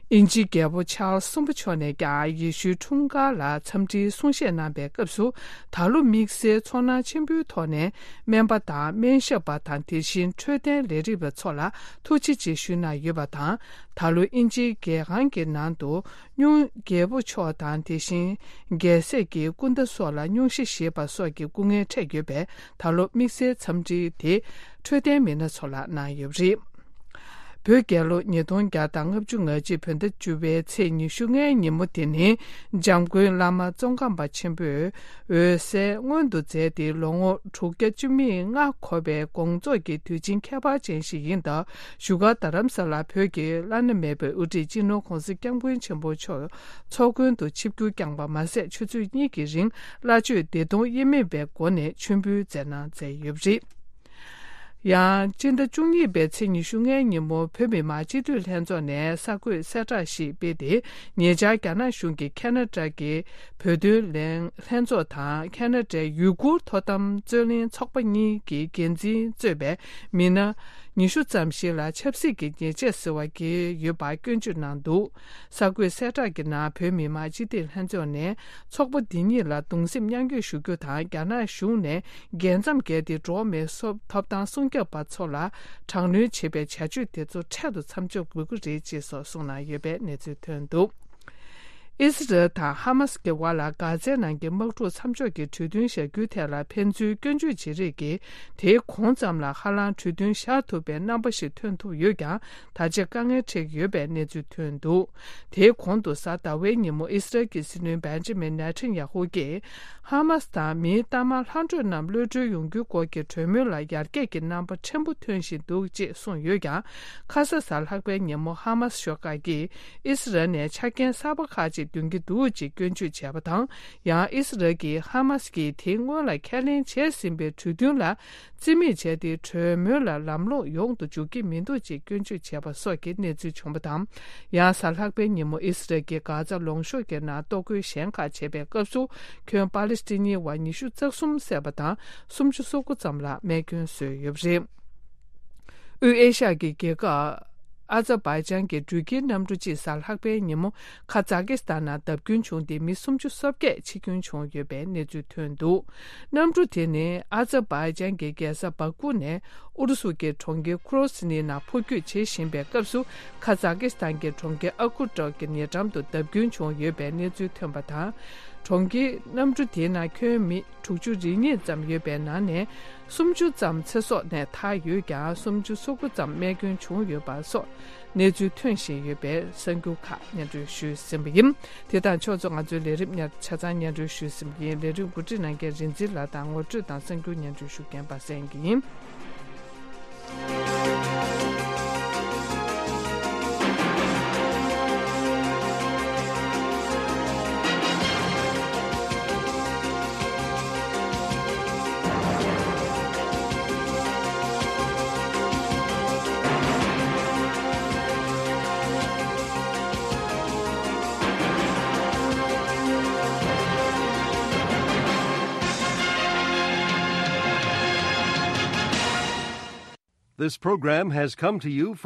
དབྱིན་ཇིའི་རྒྱལ་པོ་ཆཱལ་སི་གསུམ་པ་མཆོག་ནས་ཀྱང་ཡེ་ཤུའི་འཁྲུངས་སྐར་ལ་འཚམས་འདྲིའི་གསུང་བཤད་གནང་པའི་སྐབས་སུ། ད་ལོ་དམིགས་བསལ་ཚོར་སྣང་ཆེན་པོའི་ཐོག་ནས་སྨན་པ་དང་སྨན་ཞབས་པ་དང་། དེ་བཞིན་འཕྲོད་བསྟེན་ལས་རིགས་པ་ཚོ་ལ་ཐུགས་རྗེ་ཆེ་ཞུས་གནང་ཡོད་པ་དང་། ད་ལོ་དབྱིན་ཇིའི་རྒྱལ་ཁང་གི་ནང་དུ་སྙུང་རྒྱལ་པོ་མཆོག་དང་། དེ་བཞིན་རྒྱལ་སྲས་ཀྱི་སྐུ་ཟླ་སོགས་ལ་སྙུང་གཞི་བཞེས་པ་སོགས་ཀྱི་སྐུ་ངལ་འཕྲད་ཡོད་པས། ད་ལོ་དམིགས་བསལ་འཚམས་འདྲི་དེ་འཕྲོད་བསྟེན་མི་སྣ་ཚོ་ལ་གནང་ཡོད་པ་རེད། བོད་རྒྱལ་ལོ་ཉིས་སྟོང་བརྒྱ་དང་ལྔ་བཅུ་ང་གཅིག་བོད་ཟླ་བཅུ་པའི་ཚེས་ཉི་ཤུ་ལྔའི་ཉིན་མོ་དེ་ནི། འཇམ་མགོན་བླ་མ་ཙོང་ཁ་པ་ཆེན་པོས་འོད་གསལ་མངོན་དུ་མཛད་དེ། ལོ་ངོ་དྲུག་བརྒྱ་བཅུ་མེད་ལྔ་འཁོར་བའི་དགོངས་རྫོགས་ཀྱི་དུས་ཆེན་ཁྱད་པར་ཅན་ཞིག་ཡིན་སྟབས། བཞུགས་སྒར་རྡ་རམ་ས་ལ་བོད་ཀྱི་བླ་ན་མེད་པའི་དབུ་ཁྲིད་སྤྱི་ནོར་༸གོང་ས་༸སྐྱབས་མགོན་ཆེན་པོ་མཆོག་ཚོགས་མགོན་དུ་ཆིབས་བསྒྱུར་བསྐྱངས་པ་མ་ཟད། ཆུ་ཚོད་གཉིས་ཀྱི་རིང་བླ་མཆོད་བདེ་སྟོང་དབྱེར་མེད་པའི་སྒོ་ནས་མཆོད་འབུལ་མཛད་གནང་མཛད་ཡོད་པ་རེད། ཡང་སྤྱི་ཟླ་བཅུ་གཉིས་པའི་ཚེས་ཉི་ཤུ་ལྔའི་ཉིན་མོ། བོད་མི་མང་སྤྱི་འཐུས་ལྷན་ཚོགས་ནས་གསར་འགོད་གསལ་བསྒྲགས་ཤིག་སྤེལ་ཏེ། ཉེ་ཆར་རྒྱ་ནག་གཞུང་གིས་ཁ་ན་ཌ་གི་བོད་དོན་ལྷན་ལྷན་ཚོགས་དང་། ཁ་ན་ཌའི་ཡུ་གུར་ཐོག་དམ་རྩོད་ལེན་ཚོགས་པ་གཉིས་ཀྱི་འགན་འཛིན་གཙོས་པའི་མི་སྣ་ཉི་ཤུ་ཙམ་ཞིག་ལ་ཆབ་སྲིད་ཀྱི་ཉེས་ཆད་ཟེར་བ་འགེལ་ཡོད་པ་སྐྱོན་བརྗོད་གནང་འདུག་གསར་འགོད་གསལ་བསྒྲགས་ཀྱི་ནང་། བོད་མི་མང་སྤྱི་འཐུས་ལྷན་ཚོགས་ནས་ཚོགས་པ་འདི་གཉིས་ལ་གདུང་སེམས་མཉམ་སྐྱེད་ཞུ་རྒྱུ་དང་། རྒྱ་ནག་གཞུང་ནས་རྒྱལ་མཚམས་བརྒལ་ཏེ་འགྲོ་བ་མིའི་སོ་ཐོབ་ཐང་སྲུང་སྐྱོབ་པ་ཚོ་ལ་དྲག་གནོན་བྱེད་པའི་བྱ་སྤྱོད་དེ་ཚོ་འཕྲལ་དུ་མཚམས་འཇོག་དགོས་ཀྱི་རེད་ཅེས་སོགས་གསུངས་གནང་ཡོད་པའི་གནས་ཚུལ་ཐོན་འདུག་ཨི་སི་རལ་དང་ཧ་མ་སི་ཀྱི་བར་ལ་གྷ་ཛའི་ནང་གི་དམག་འཁྲུག་མཚམས་འཇོག་གི་གྲོས་མཐུན་བཞག་རྒྱུའི་ཐད་ལ་ཕན་ཚུན་སྐྱོན་བརྗོད་བྱེད་རེས་ཀྱིས། དེའི་གོང་ཙམ་ལ་ཧ་ལམ་གྲོས་མཐུན་བཞག་ཐུབ་པའི་རྣམ་པ་ཞིག་ཐོན་ཐུབ་ཡོད་ཀྱང་། ད་ཆ་དཀའ་ངལ་འཕྲད་ཀྱི་ཡོད་པའི་གནས་ཚུལ་ཐོན་འདུག་དེའི་གོང་དུ་གཟའ་ཟླ་བའི་ཉིན་མོ་ཨི་སི་རལ་གྱི་སྲིད་བློན་བན་ཇི་མིན་ནེ་ཐན་ཡ་ཧུ་གྱིས། ཧ་མ་སི་དང་མིའི་གཏའ་མ་ལྷག་འཕྲོས་རྣམས་གློད་གྲོལ་ཡོང་རྒྱུའི་སྐོར་གྱི་གྲོས་མོལ་ལ་ཡར་རྒྱས་ཀྱི་རྣམ་པ་ཕྲན་བུ་ཐོན་བཞིན་འདུག་ཅེས་གསུངས་ཡོད་ཀྱང་། ཁ་ས་གཟའ་ལྷག་པའི་ཉིན་མོ་ཧ་མ་སི་ཤོག་ཁག་གིས་ཨི་སི་རལ་ནས་ཆ་རྐྱེན་གསར་པ་ཁག་ཅིག་འདོན་གྱི་འདུག་ཅེས་སྐྱོན་བརྗོད་བྱས་པ་དང་། ཡང་ཨི་སི་རལ་གྱིས་ཧ་མ་སི་གིས་དེ་སྔོན་ལ་ཁས་ལེན་བྱས་ཟིན་པའི་གྲོས་མཐུན་ལ་རྩིས་མེད་བྱས་ཏེ། གྲོས་མོལ་ལ་ལམ་ལྷོང་ཡོང་དུ་འཇུག་གི་མི་འདུག་ཅེས་སྐྱོན་བརྗོད་བྱས་པ་སོགས་ཀྱི་གནས་ཚུལ་བྱུང་བ་དང་། ཡང་གཟའ་ལྷག་པའི་ཉིན་མོ་ཨི་སི་རལ་གྱིས་གྷ་ཛ་ལུང་གཤོང་གི་ནང་གཏོར་རྒོལ་གཞན་ཁག་བྱས་པའི་སྐབས་སུ། ཁྱོན་པ་ལི་སི་ཐན་ནིའི་བ་ཉི་ཤུ་རྩ་གསུམ་བསད་པ་དང་། སུམ་ཅུ་སོ་དགུ་ཙམ་ལ་རྨས་སྐྱོན་བཟོས་ཡོད་པ་རེད། དབུས་ཨེ་ཤ་ཡ་གི་རྒྱལ་ཁབ་ཨ་ཛར་བྷའི་ཇན་གྱི་འགྲུལ་སྐྱེལ་གནམ་གྲུ་གཅིག་གཟའ་ལྷག་པའི་ཉིན་མོ་ཁ་ཛ་ཀི་སི་ཐན་ནང་བརྡབ་སྐྱོན་བྱུང་སྟེ་མི་སུམ་ཅུ་སོ་བརྒྱད་འཆི་སྐྱོན་བྱུང་ཡོད་པའི་གནས་ཚུལ་ཐོན་འདུག་གནམ་གྲུ་དེ་ནི་ཨ་ཛར་བྷའི་ཇན་གྱི་རྒྱལ་ས་བཱ་ཀུ་ནས་ཨུ་རུ་སུ་གྱི་གྲོང་ཁྱེར་ཁུ་རོ་སི་ནི་ནང་འཕུར་སྐྱོད་བྱེད་བཞིན་པའི་སྐབས་སུ། ཁ་ཛ་ཀི་སི་ཐན་གྱི་གྲོང་ཁྱེར་ཨ་ཁུ་ཏོག་གི་ཉེ་འགྲམ་དུ་བརྡབ་སྐྱོན་བྱུང་ཡོད་པའི་གནས་ཚུལ་ཐོན་པ་དང་། གྲོང་ཁྱེར་གནམ་གྲུ་དེའི་ནང་ཁྱོན་མི་དྲུག་ཅུ་རེ་གཉིས་ཙམ་ཡོད་པའི་ནང་ནས། སུམ་ཅུ་ཙམ་ཚེ་སྲོག་ནས་ཐར་ཡོད་ཀྱང་། སུམ་ཅུ་སོ་དགུ་ཙམ་རྨས་སྐྱོན་བྱུང་ཡོད་པ་སོགས་གནས་ཚུལ་ཐོན་བཞིན་ཡོད་པའི་གསར་འགྱུར་ཁག་སྙན་སྒྲོན་ཞུས་ཟིན་པ་ཡིན། དེ་དང་ཕྱོགས་མཚུངས་ང་ཚོའི་ལས་རིམ་ཉར་ཆ་ཚང་སྙན་སྒྲོན་ཞུས་ཟིན་པ་ཡིན། ལས་རིམ་གོ་སྒྲིག་གནང་མཁན་རིག་འཛིན་ལགས་དང་ངོ་སྤྲོད་དང་གསར་འགྱུར་སྙན་སྒྲོན་ཞུ་མཁན་པ་སངས་སྐྱིད་ཡིན། This program has come to you from